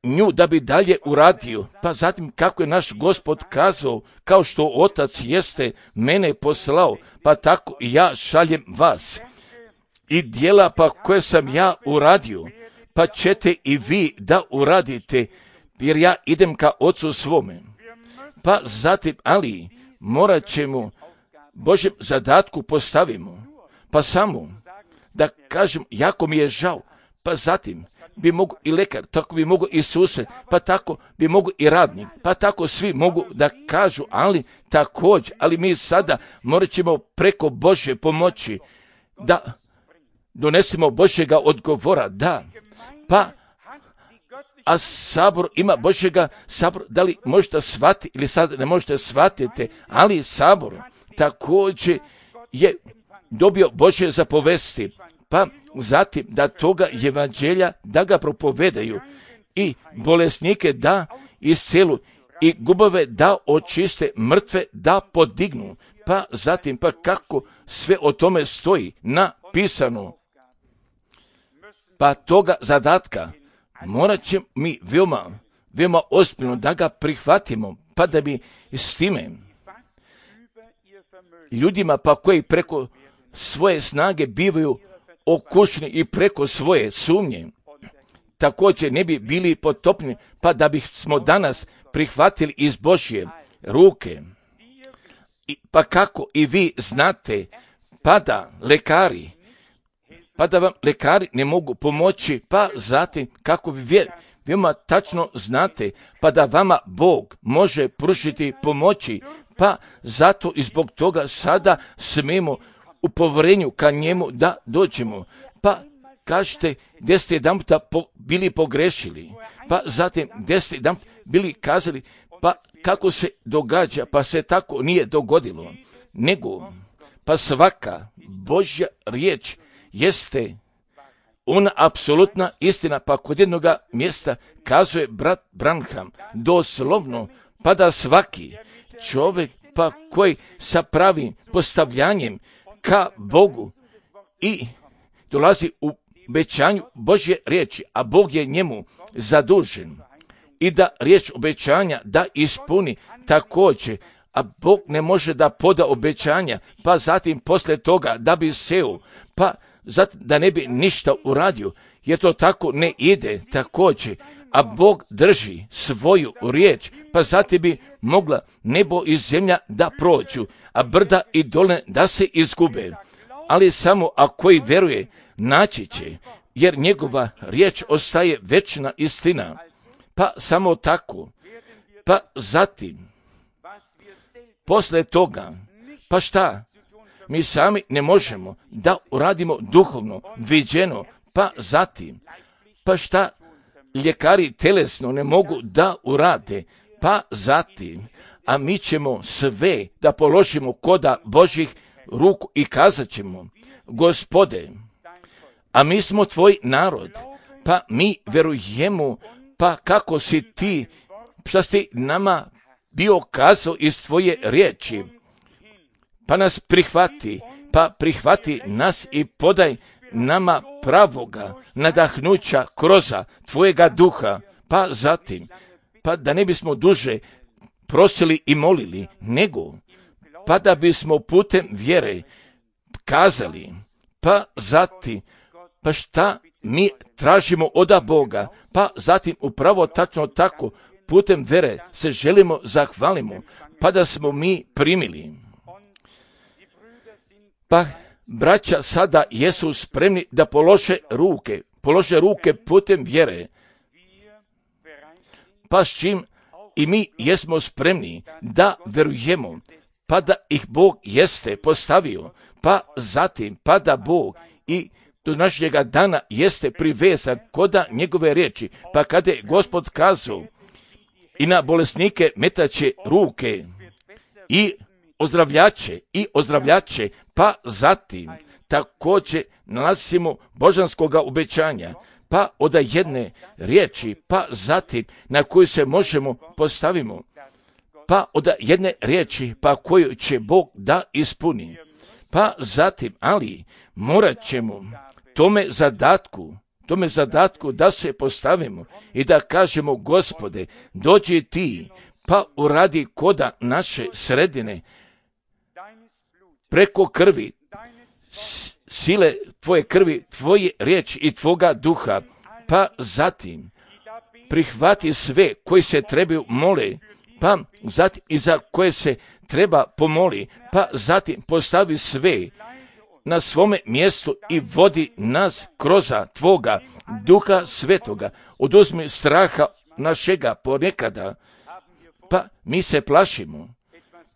nju da bi dalje uradio, pa zatim kako je naš Gospod kazao, kao što Otac jeste mene poslao, pa tako i ja šaljem vas. I djela pa koje sam ja uradio, pa ćete i vi da uradite, jer ja idem ka Ocu svome. Pa zatim, ali morat ćemo Božjem zadatku postavimo, pa samo da kažem, jako mi je žao, pa zatim bi mogu i lekar, tako bi mogu i susjed, pa tako bi mogu i radnik, pa tako svi mogu da kažu, ali također, ali mi sada morat ćemo preko Božje pomoći da donesemo Božjega odgovora, da, pa a sabor ima Božjega sabor, da li možete shvatiti ili sad ne možete shvatiti, ali sabor također je dobio Božje zapovesti, pa zatim da toga evanđelja da ga propovedaju i bolesnike da iscelu i gubave da očiste, mrtve da podignu, pa zatim pa kako sve o tome stoji napisano. Pa toga zadatka morat ćemo mi veoma, veoma ozbiljno da ga prihvatimo, pa da bi s time ljudima pa koji preko svoje snage bivaju okušeni i preko svoje sumnje, također ne bi bili potopni, pa da bismo danas prihvatili iz Božje ruke. I, pa kako i vi znate, pa da lekari, pa da vam lekari ne mogu pomoći, pa zatim kako vi vjer, veoma tačno znate, pa da vama Bog može pružiti pomoći, pa zato i zbog toga sada smemo u povjerenju ka njemu da dođemo. Pa kažete gdje ste jedan puta po, bili pogrešili, pa zatim gdje ste jedan puta bili kazali, pa kako se događa, pa se tako nije dogodilo, nego pa svaka Božja riječ jeste ona apsolutna istina, pa kod jednoga mjesta kazuje brat Branham doslovno, pa da svaki čovjek pa koji sa pravim postavljanjem ka Bogu i dolazi u obećanju Božje riječi, a Bog je njemu zadužen i da riječ obećanja da ispuni također, a Bog ne može da poda obećanja, pa zatim poslije toga da bi seo, pa zato da ne bi ništa uradio, jer to tako ne ide također, a Bog drži svoju riječ, pa zatim bi mogla nebo i zemlja da prođu, a brda i dole da se izgube. Ali samo ako koji vjeruje, naći će, jer njegova riječ ostaje večna istina. Pa samo tako, pa zatim, posle toga, pa šta? Mi sami ne možemo da uradimo duhovno, viđeno, pa zatim, pa šta ljekari telesno ne mogu da urade, pa zatim, a mi ćemo sve da položimo koda Božih ruku i kazat ćemo, Gospode, a mi smo tvoj narod, pa mi verujemo, pa kako si ti, šta si nama bio kazao iz tvoje riječi, pa nas prihvati, pa prihvati nas i podaj nama pravoga nadahnuća kroza tvojega duha, pa zatim, pa da ne bismo duže prosili i molili, nego, pa da bismo putem vjere kazali, pa zatim, pa šta mi tražimo oda Boga, pa zatim upravo tačno tako, putem vjere se želimo zahvalimo, pa da smo mi primili. Pa braća sada jesu spremni da polože ruke, polože ruke putem vjere, pa s čim i mi jesmo spremni da verujemo, pa da ih Bog jeste postavio, pa zatim, pa da Bog i do našega dana jeste privezan koda njegove riječi, pa kada je Gospod kazao i na bolesnike metaće ruke i ozdravljače i ozdravljače, pa zatim također nalazimo božanskoga obećanja, pa od jedne riječi, pa zatim na koju se možemo postavimo, pa od jedne riječi, pa koju će Bog da ispuni, pa zatim, ali morat ćemo tome zadatku, tome zadatku da se postavimo i da kažemo, Gospode, dođi ti, pa uradi koda naše sredine, preko krvi, sile tvoje krvi, tvoje riječi i tvoga duha, pa zatim prihvati sve koji se trebaju mole, pa zatim i za koje se treba pomoli, pa zatim postavi sve na svome mjestu i vodi nas kroza tvoga duha svetoga. Oduzmi straha našega ponekada, pa mi se plašimo,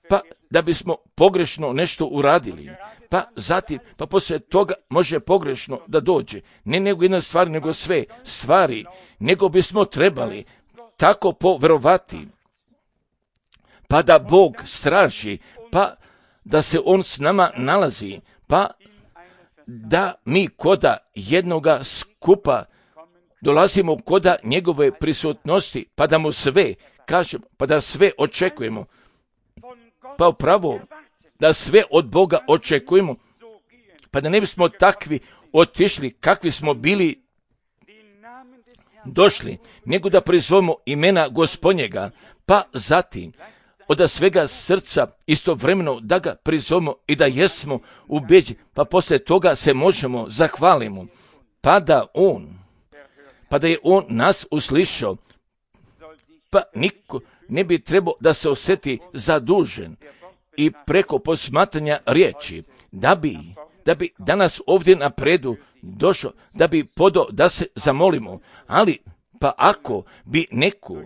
pa da bismo pogrešno nešto uradili, pa zatim, pa poslije toga može pogrešno da dođe. Ne nego jedna stvar, nego sve stvari, nego bismo trebali tako poverovati, pa da Bog straži, pa da se On s nama nalazi, pa da mi koda jednoga skupa dolazimo koda njegove prisutnosti, pa da mu sve kažemo, pa da sve očekujemo, pa upravo da sve od Boga očekujemo, pa da ne bismo takvi otišli kakvi smo bili došli, nego da prizovemo imena Gospodnjega, pa zatim od svega srca istovremeno da ga prizovemo i da jesmo ubeđeni, pa poslije toga se možemo zahvalimo, pa da on, pa da je on nas uslišao, pa niko ne bi trebao da se osjeti zadužen, i preko posmatranja riječi, da bi, da bi danas ovdje napredu došlo, da bi podo da se zamolimo, ali pa ako bi neko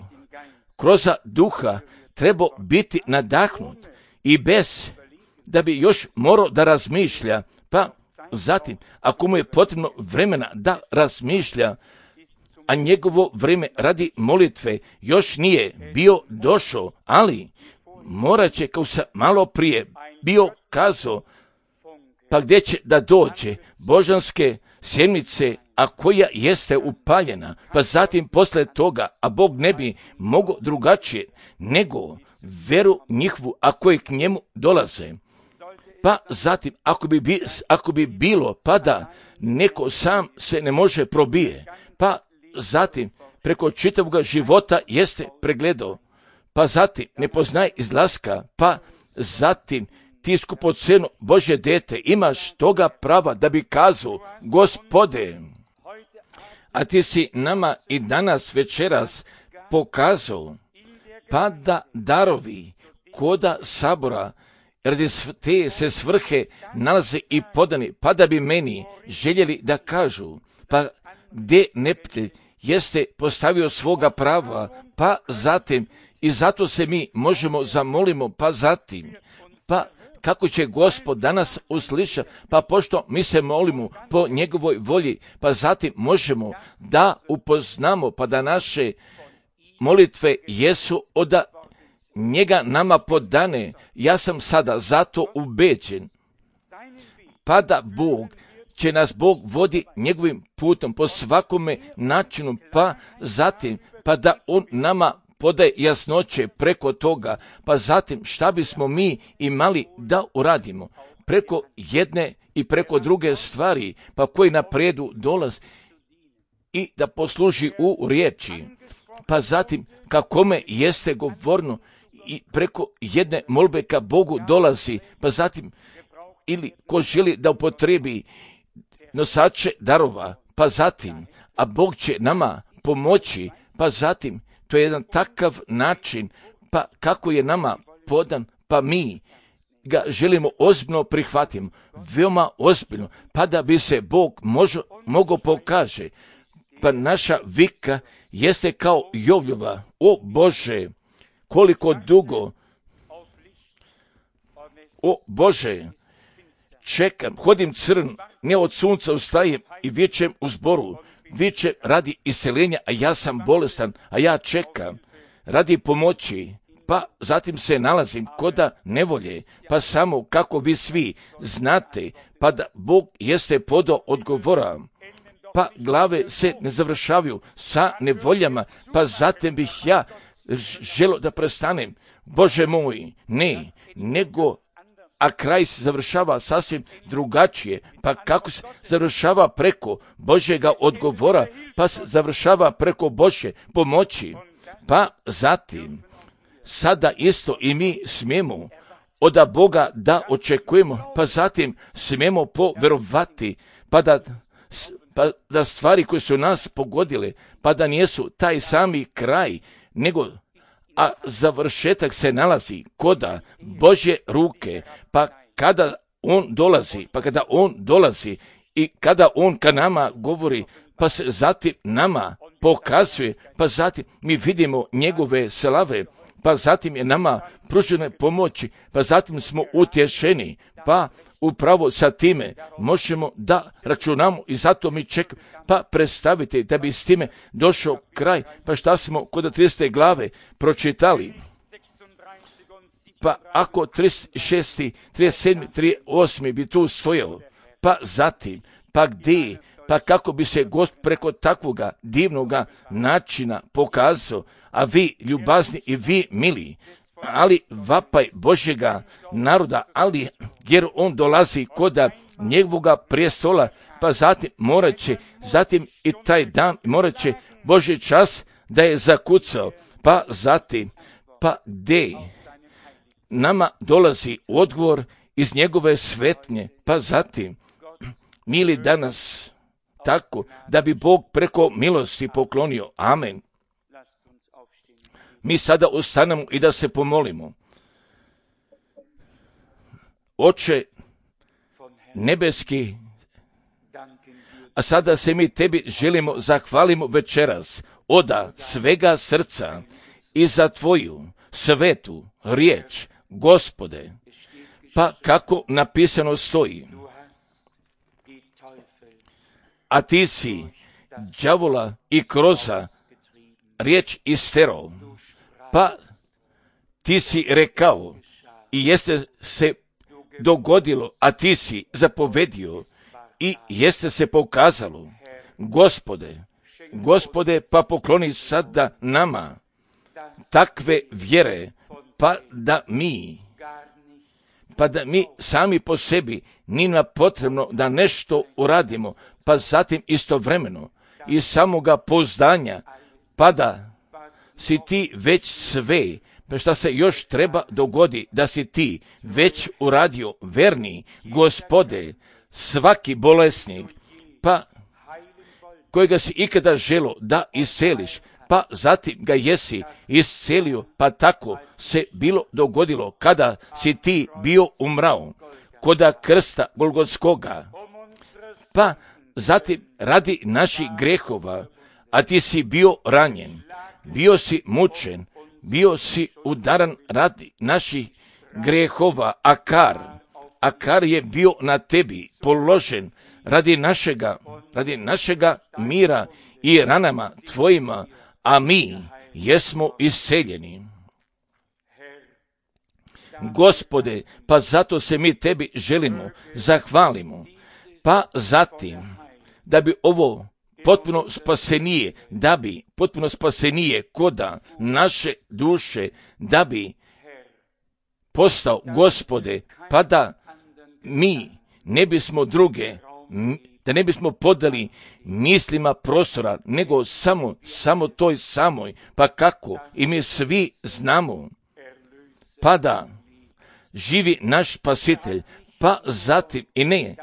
kroz duha trebao biti nadahnut i bez da bi još morao da razmišlja, pa zatim ako mu je potrebno vremena da razmišlja, a njegovo vrijeme radi molitve još nije bio došao, ali morat će, kao sam malo prije bio kazao, pa gdje će da dođe božanske sjednice, a koja jeste upaljena, pa zatim posle toga, a Bog ne bi mogao drugačije nego veru njihovu, a koje k njemu dolaze. Pa zatim, ako bi, bi, ako bi bilo, pa da neko sam se ne može probije, pa zatim preko čitavog života jeste pregledao, pa zatim ne poznaje izlaska, pa zatim ti skupoceno Božje dete imaš toga prava da bi kazao, Gospode, a ti si nama i danas večeras pokazao, pa da darovi koda sabora radi te se svrhe nalaze i podani, pa da bi meni željeli da kažu, pa gdje neptelj jeste postavio svoga prava, pa zatim i zato se mi možemo zamolimo, pa zatim, pa kako će Gospod danas usliša, pa pošto mi se molimo po njegovoj volji, pa zatim možemo da upoznamo, pa da naše molitve jesu od njega nama podane. Ja sam sada zato ubeđen, pa da Bog će nas Bog vodi njegovim putom po svakome načinu, pa zatim, pa da on nama podaje jasnoće preko toga, pa zatim šta bismo mi imali da uradimo preko jedne i preko druge stvari, pa koji napredu dolaz i da posluži u riječi, pa zatim kakome jeste govorno i preko jedne molbe ka Bogu dolazi, pa zatim ili ko želi da upotrebi nosače darova, pa zatim, a Bog će nama pomoći, pa zatim, to je jedan takav način, pa kako je nama podan, pa mi ga želimo ozbiljno prihvatiti, veoma ozbiljno, pa da bi se Bog možo, mogao pokaže, pa naša vika jeste kao Jovljova, o Bože, koliko dugo, o Bože, čekam, hodim crn, ne od sunca ustajem i vičem u zboru, vičem radi iseljenja, a ja sam bolestan, a ja čekam radi pomoći, pa zatim se nalazim koda nevolje, pa samo kako vi svi znate, pa da Bog jeste podo odgovora, pa glave se ne završavaju sa nevoljama, pa zatim bih ja želo da prestanem, Bože moj, ne, nego a kraj se završava sasvim drugačije, pa kako se završava preko Božjega odgovora, pa se završava preko Božje pomoći, pa zatim sada isto i mi smijemo od Boga da očekujemo, pa zatim smijemo poverovati, pa da, pa da stvari koje su nas pogodile, pa da nijesu taj sami kraj, nego a završetak se nalazi koda Božje ruke, pa kada on dolazi, pa kada on dolazi i kada on ka nama govori, pa se zatim nama pokazuje, pa zatim mi vidimo njegove slave, pa zatim je nama pružene pomoći, pa zatim smo utješeni, pa upravo sa time možemo da računamo i zato mi čekamo, pa predstavite da bi s time došao kraj, pa šta smo kod tridesete glave pročitali, pa ako trideset šesti, trideset sedmi, trideset osmi bi tu stojalo, pa zatim, pa gdje, pa kako bi se Gost preko takvoga divnoga načina pokazao, a vi ljubazni i vi mili, ali vapaj Božjega naroda, ali jer on dolazi koda njegovoga prijestola, pa zatim morat će, zatim i taj dan morat će Božji čas da je zakucao, pa zatim, pa gdje nama dolazi odgovor iz njegove svetnje, pa zatim, mili danas, tako da bi Bog preko milosti poklonio. Amen. Mi sada ustanemo i da se pomolimo. Oče nebeski, a sada se mi tebi želimo zahvalimo večeras oda svega srca i za tvoju svetu riječ, Gospode. Pa kako napisano stoji, a ti si đavola i kroza riječ isterao, pa ti si rekao i jeste se dogodilo, a ti si zapovedio i jeste se pokazalo. Gospode, Gospode, pa pokloni sada nama takve vjere, pa da mi, pa da mi sami po sebi nije nam potrebno da nešto uradimo, pa zatim istovremeno iz samoga pouzdanja, pa da si ti već sve, pa šta se još treba dogodi, da si ti već uradio, verni Gospode, svaki bolesnik, pa kojega si ikada želo da isceliš, pa zatim ga jesi iscelio, pa tako se bilo dogodilo kada si ti bio umrao koda krsta Golgotskoga, pa zatim radi naših grehova, a ti si bio ranjen, bio si mučen, bio si udaran radi naših grehova, a kar, a kar je bio na tebi položen radi našega, radi našega mira i ranama tvojima, a mi jesmo isceljeni. Gospode, pa zato se mi tebi želimo, zahvalimo, pa zatim da bi ovo potpuno spasenije, da bi potpuno spasenije koda naše duše, da bi postao, Gospode, pa da mi ne bismo druge, da ne bismo podali mislima prostora, nego samo, samo toj samoj, pa kako i mi svi znamo, pa da živi naš Spasitelj, pa zatim i ne,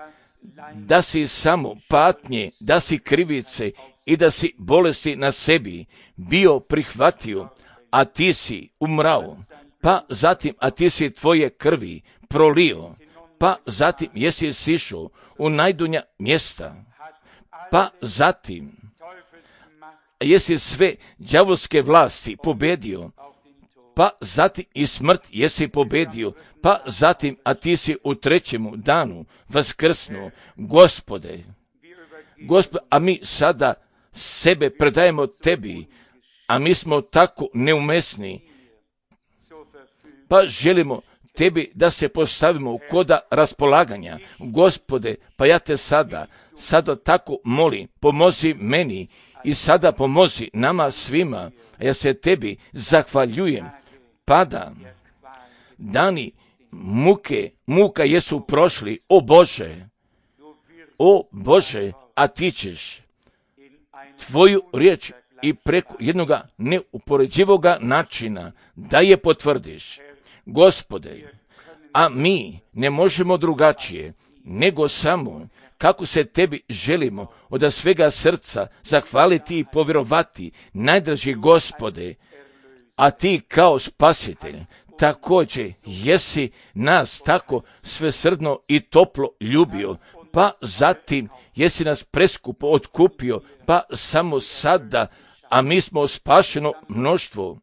da si samo patnje, da si krivice i da si bolesti na sebi bio prihvatio, a ti si umrao, pa zatim, a ti si tvoje krvi prolio, pa zatim jesi sišao u najdunja mjesta, pa zatim jesi sve đavolske vlasti pobedio, pa zatim i smrt jesi pobedio, pa zatim, a ti si u trećemu danu vaskrsnuo, Gospode, Gospode, a mi sada sebe predajemo tebi, a mi smo tako neumesni, pa želimo tebi da se postavimo u koda raspolaganja, Gospode, pa ja te sada, sada tako molim, pomozi meni i sada pomozi nama svima, a ja se tebi zahvaljujem, pada dani muke, muka jesu prošli, o Bože, o Bože, a ti ćeš tvoju riječ i preko jednoga neupoređivoga načina da je potvrdiš, Gospode, a mi ne možemo drugačije, nego samo kako se tebi želimo od svega srca zahvaliti i povjerovati, najdraži Gospode, a ti kao spasitelj također jesi nas tako svesrdno i toplo ljubio, pa zatim jesi nas preskupo otkupio, pa samo sada, a mi smo spašeno mnoštvo,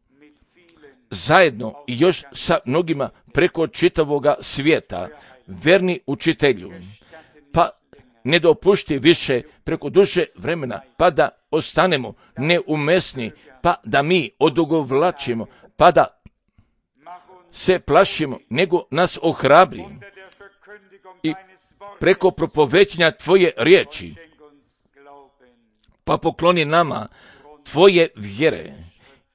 zajedno i još sa mnogima preko čitavoga svijeta, verni učitelju, pa ne dopušti više preko duže vremena, pa da ostanemo neumesni, pa da mi odugovlačimo, pa da se plašimo, nego nas ohrabri i preko propovećenja tvoje riječi, pa pokloni nama tvoje vjere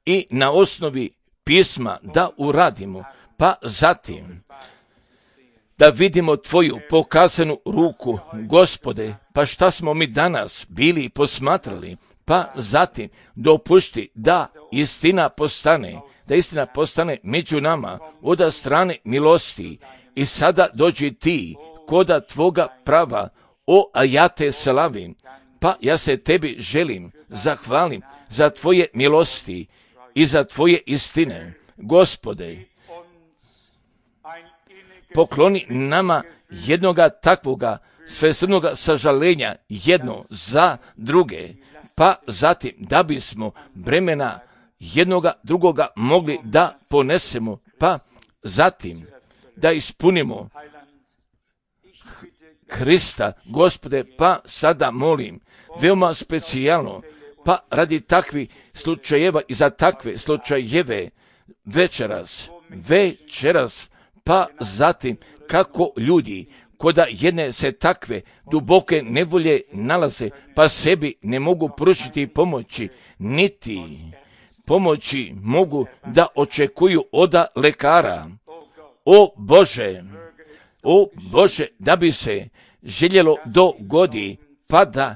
i na osnovi pisma da uradimo, pa zatim da vidimo tvoju pokazanu ruku, Gospode, pa šta smo mi danas bili posmatrali, pa zatim dopušti da istina postane, da istina postane među nama od strane milosti i sada dođi ti koda tvoga prava, o, a ja te slavim, pa ja se tebi želim, zahvalim za tvoje milosti i za tvoje istine, Gospode, pokloni nama jednoga takvoga svesrdnoga sažalenja jedno za druge, pa zatim da bismo bremena jednoga drugoga mogli da ponesemo, pa zatim da ispunimo Hrista, Gospode, pa sada molim, veoma specijalno, pa radi takvih slučajeva i za takve slučajeve večeras, večeras, pa zatim kako ljudi koda jedne se takve duboke nevolje nalaze, pa sebi ne mogu pružiti pomoći, niti pomoći mogu da očekuju oda lekara. O Bože, o Bože, da bi se željelo dogodi, pa da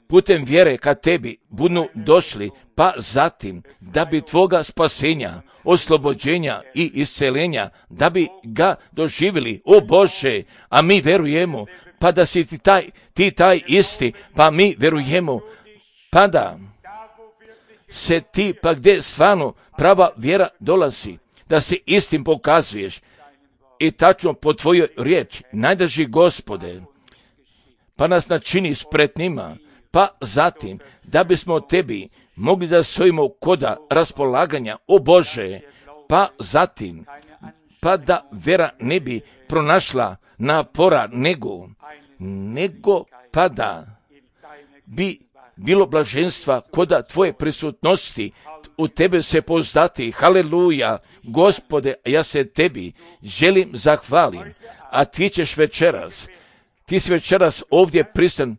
putem vjere ka tebi budu došli, pa zatim da bi tvoga spasenja, oslobođenja i iscelenja, da bi ga doživjeli, o Bože, a mi verujemo, pa da si ti taj, ti taj isti, pa mi verujemo, pa da se ti, pa gdje stvarno prava vjera dolazi, da se istim pokazuješ i tačno po tvojoj riječi, najdrži Gospode, pa nas načini spretnima, pa zatim da bismo tebi mogli da stojimo koda raspolaganja, o Bože, pa zatim, pa da vera ne bi pronašla napora, nego, nego pa da bi bilo blaženstva koda tvoje prisutnosti, u tebe se pozdati, haleluja, Gospode, ja se tebi želim zahvalim, a ti ćeš večeras, ti si večeras ovdje pristan,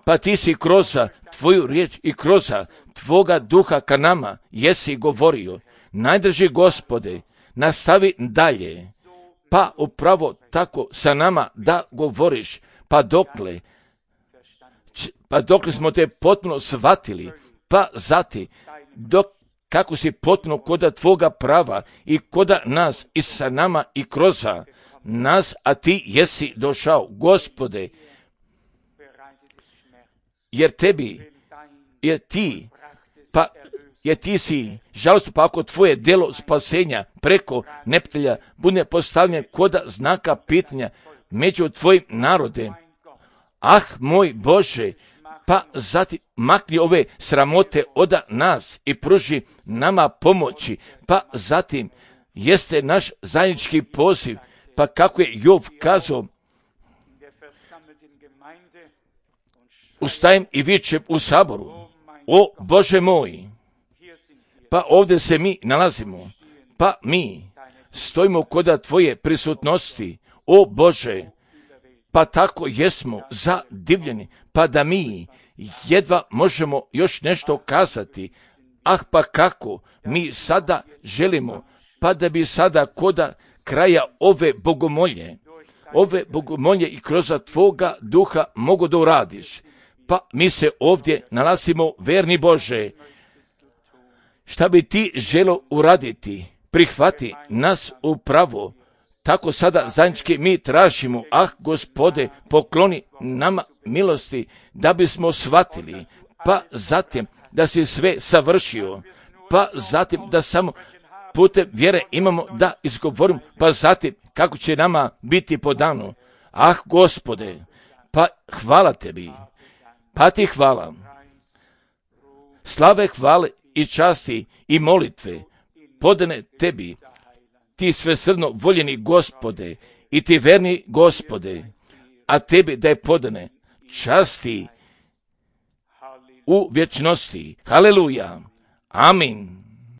pa ti si kroz tvoju riječ i kroz tvoga duha ka nama jesi govorio, najdrži Gospode, nastavi dalje, pa upravo tako sa nama da govoriš, pa dokle, pa dokle smo te potpuno shvatili, pa zati, dok kako si potpuno koda tvoga prava i koda nas i sa nama i kroz nas, a ti jesi došao, Gospode, jer tebi, jer ti, pa jer ti si žalost, pa ako tvoje delo spasenja preko neptelja bude postavljeno koda znaka pitanja među tvojim narode, ah moj Bože, pa zatim makni ove sramote oda nas i pruži nama pomoći, pa zatim jeste naš zajednički poziv, pa kako je Jov kazao, ustajem i vičem u saboru, o Bože moj, pa ovdje se mi nalazimo, pa mi stojimo koda tvoje prisutnosti, o Bože, pa tako jesmo zadivljeni, pa da mi jedva možemo još nešto kazati, ah pa kako mi sada želimo, pa da bi sada koda kraja ove bogomolje, ove bogomolje i kroz tvoga duha mogu da uradiš, pa mi se ovdje nalazimo, verni Bože, šta bi ti želo uraditi, prihvati nas upravo, tako sada zajednički mi tražimo, ah Gospode, pokloni nama milosti, da bismo shvatili, pa zatim da si sve savršio, pa zatim da samo putem vjere imamo da izgovorimo, pa zatim kako će nama biti podano. Ah Gospode, pa hvala tebi, pa ti hvala. Slave, hvale i časti i molitve podane tebi, ti svesrdno voljeni Gospode i ti verni Gospode, a tebi da je podane časti u vječnosti. Haleluja. Amin.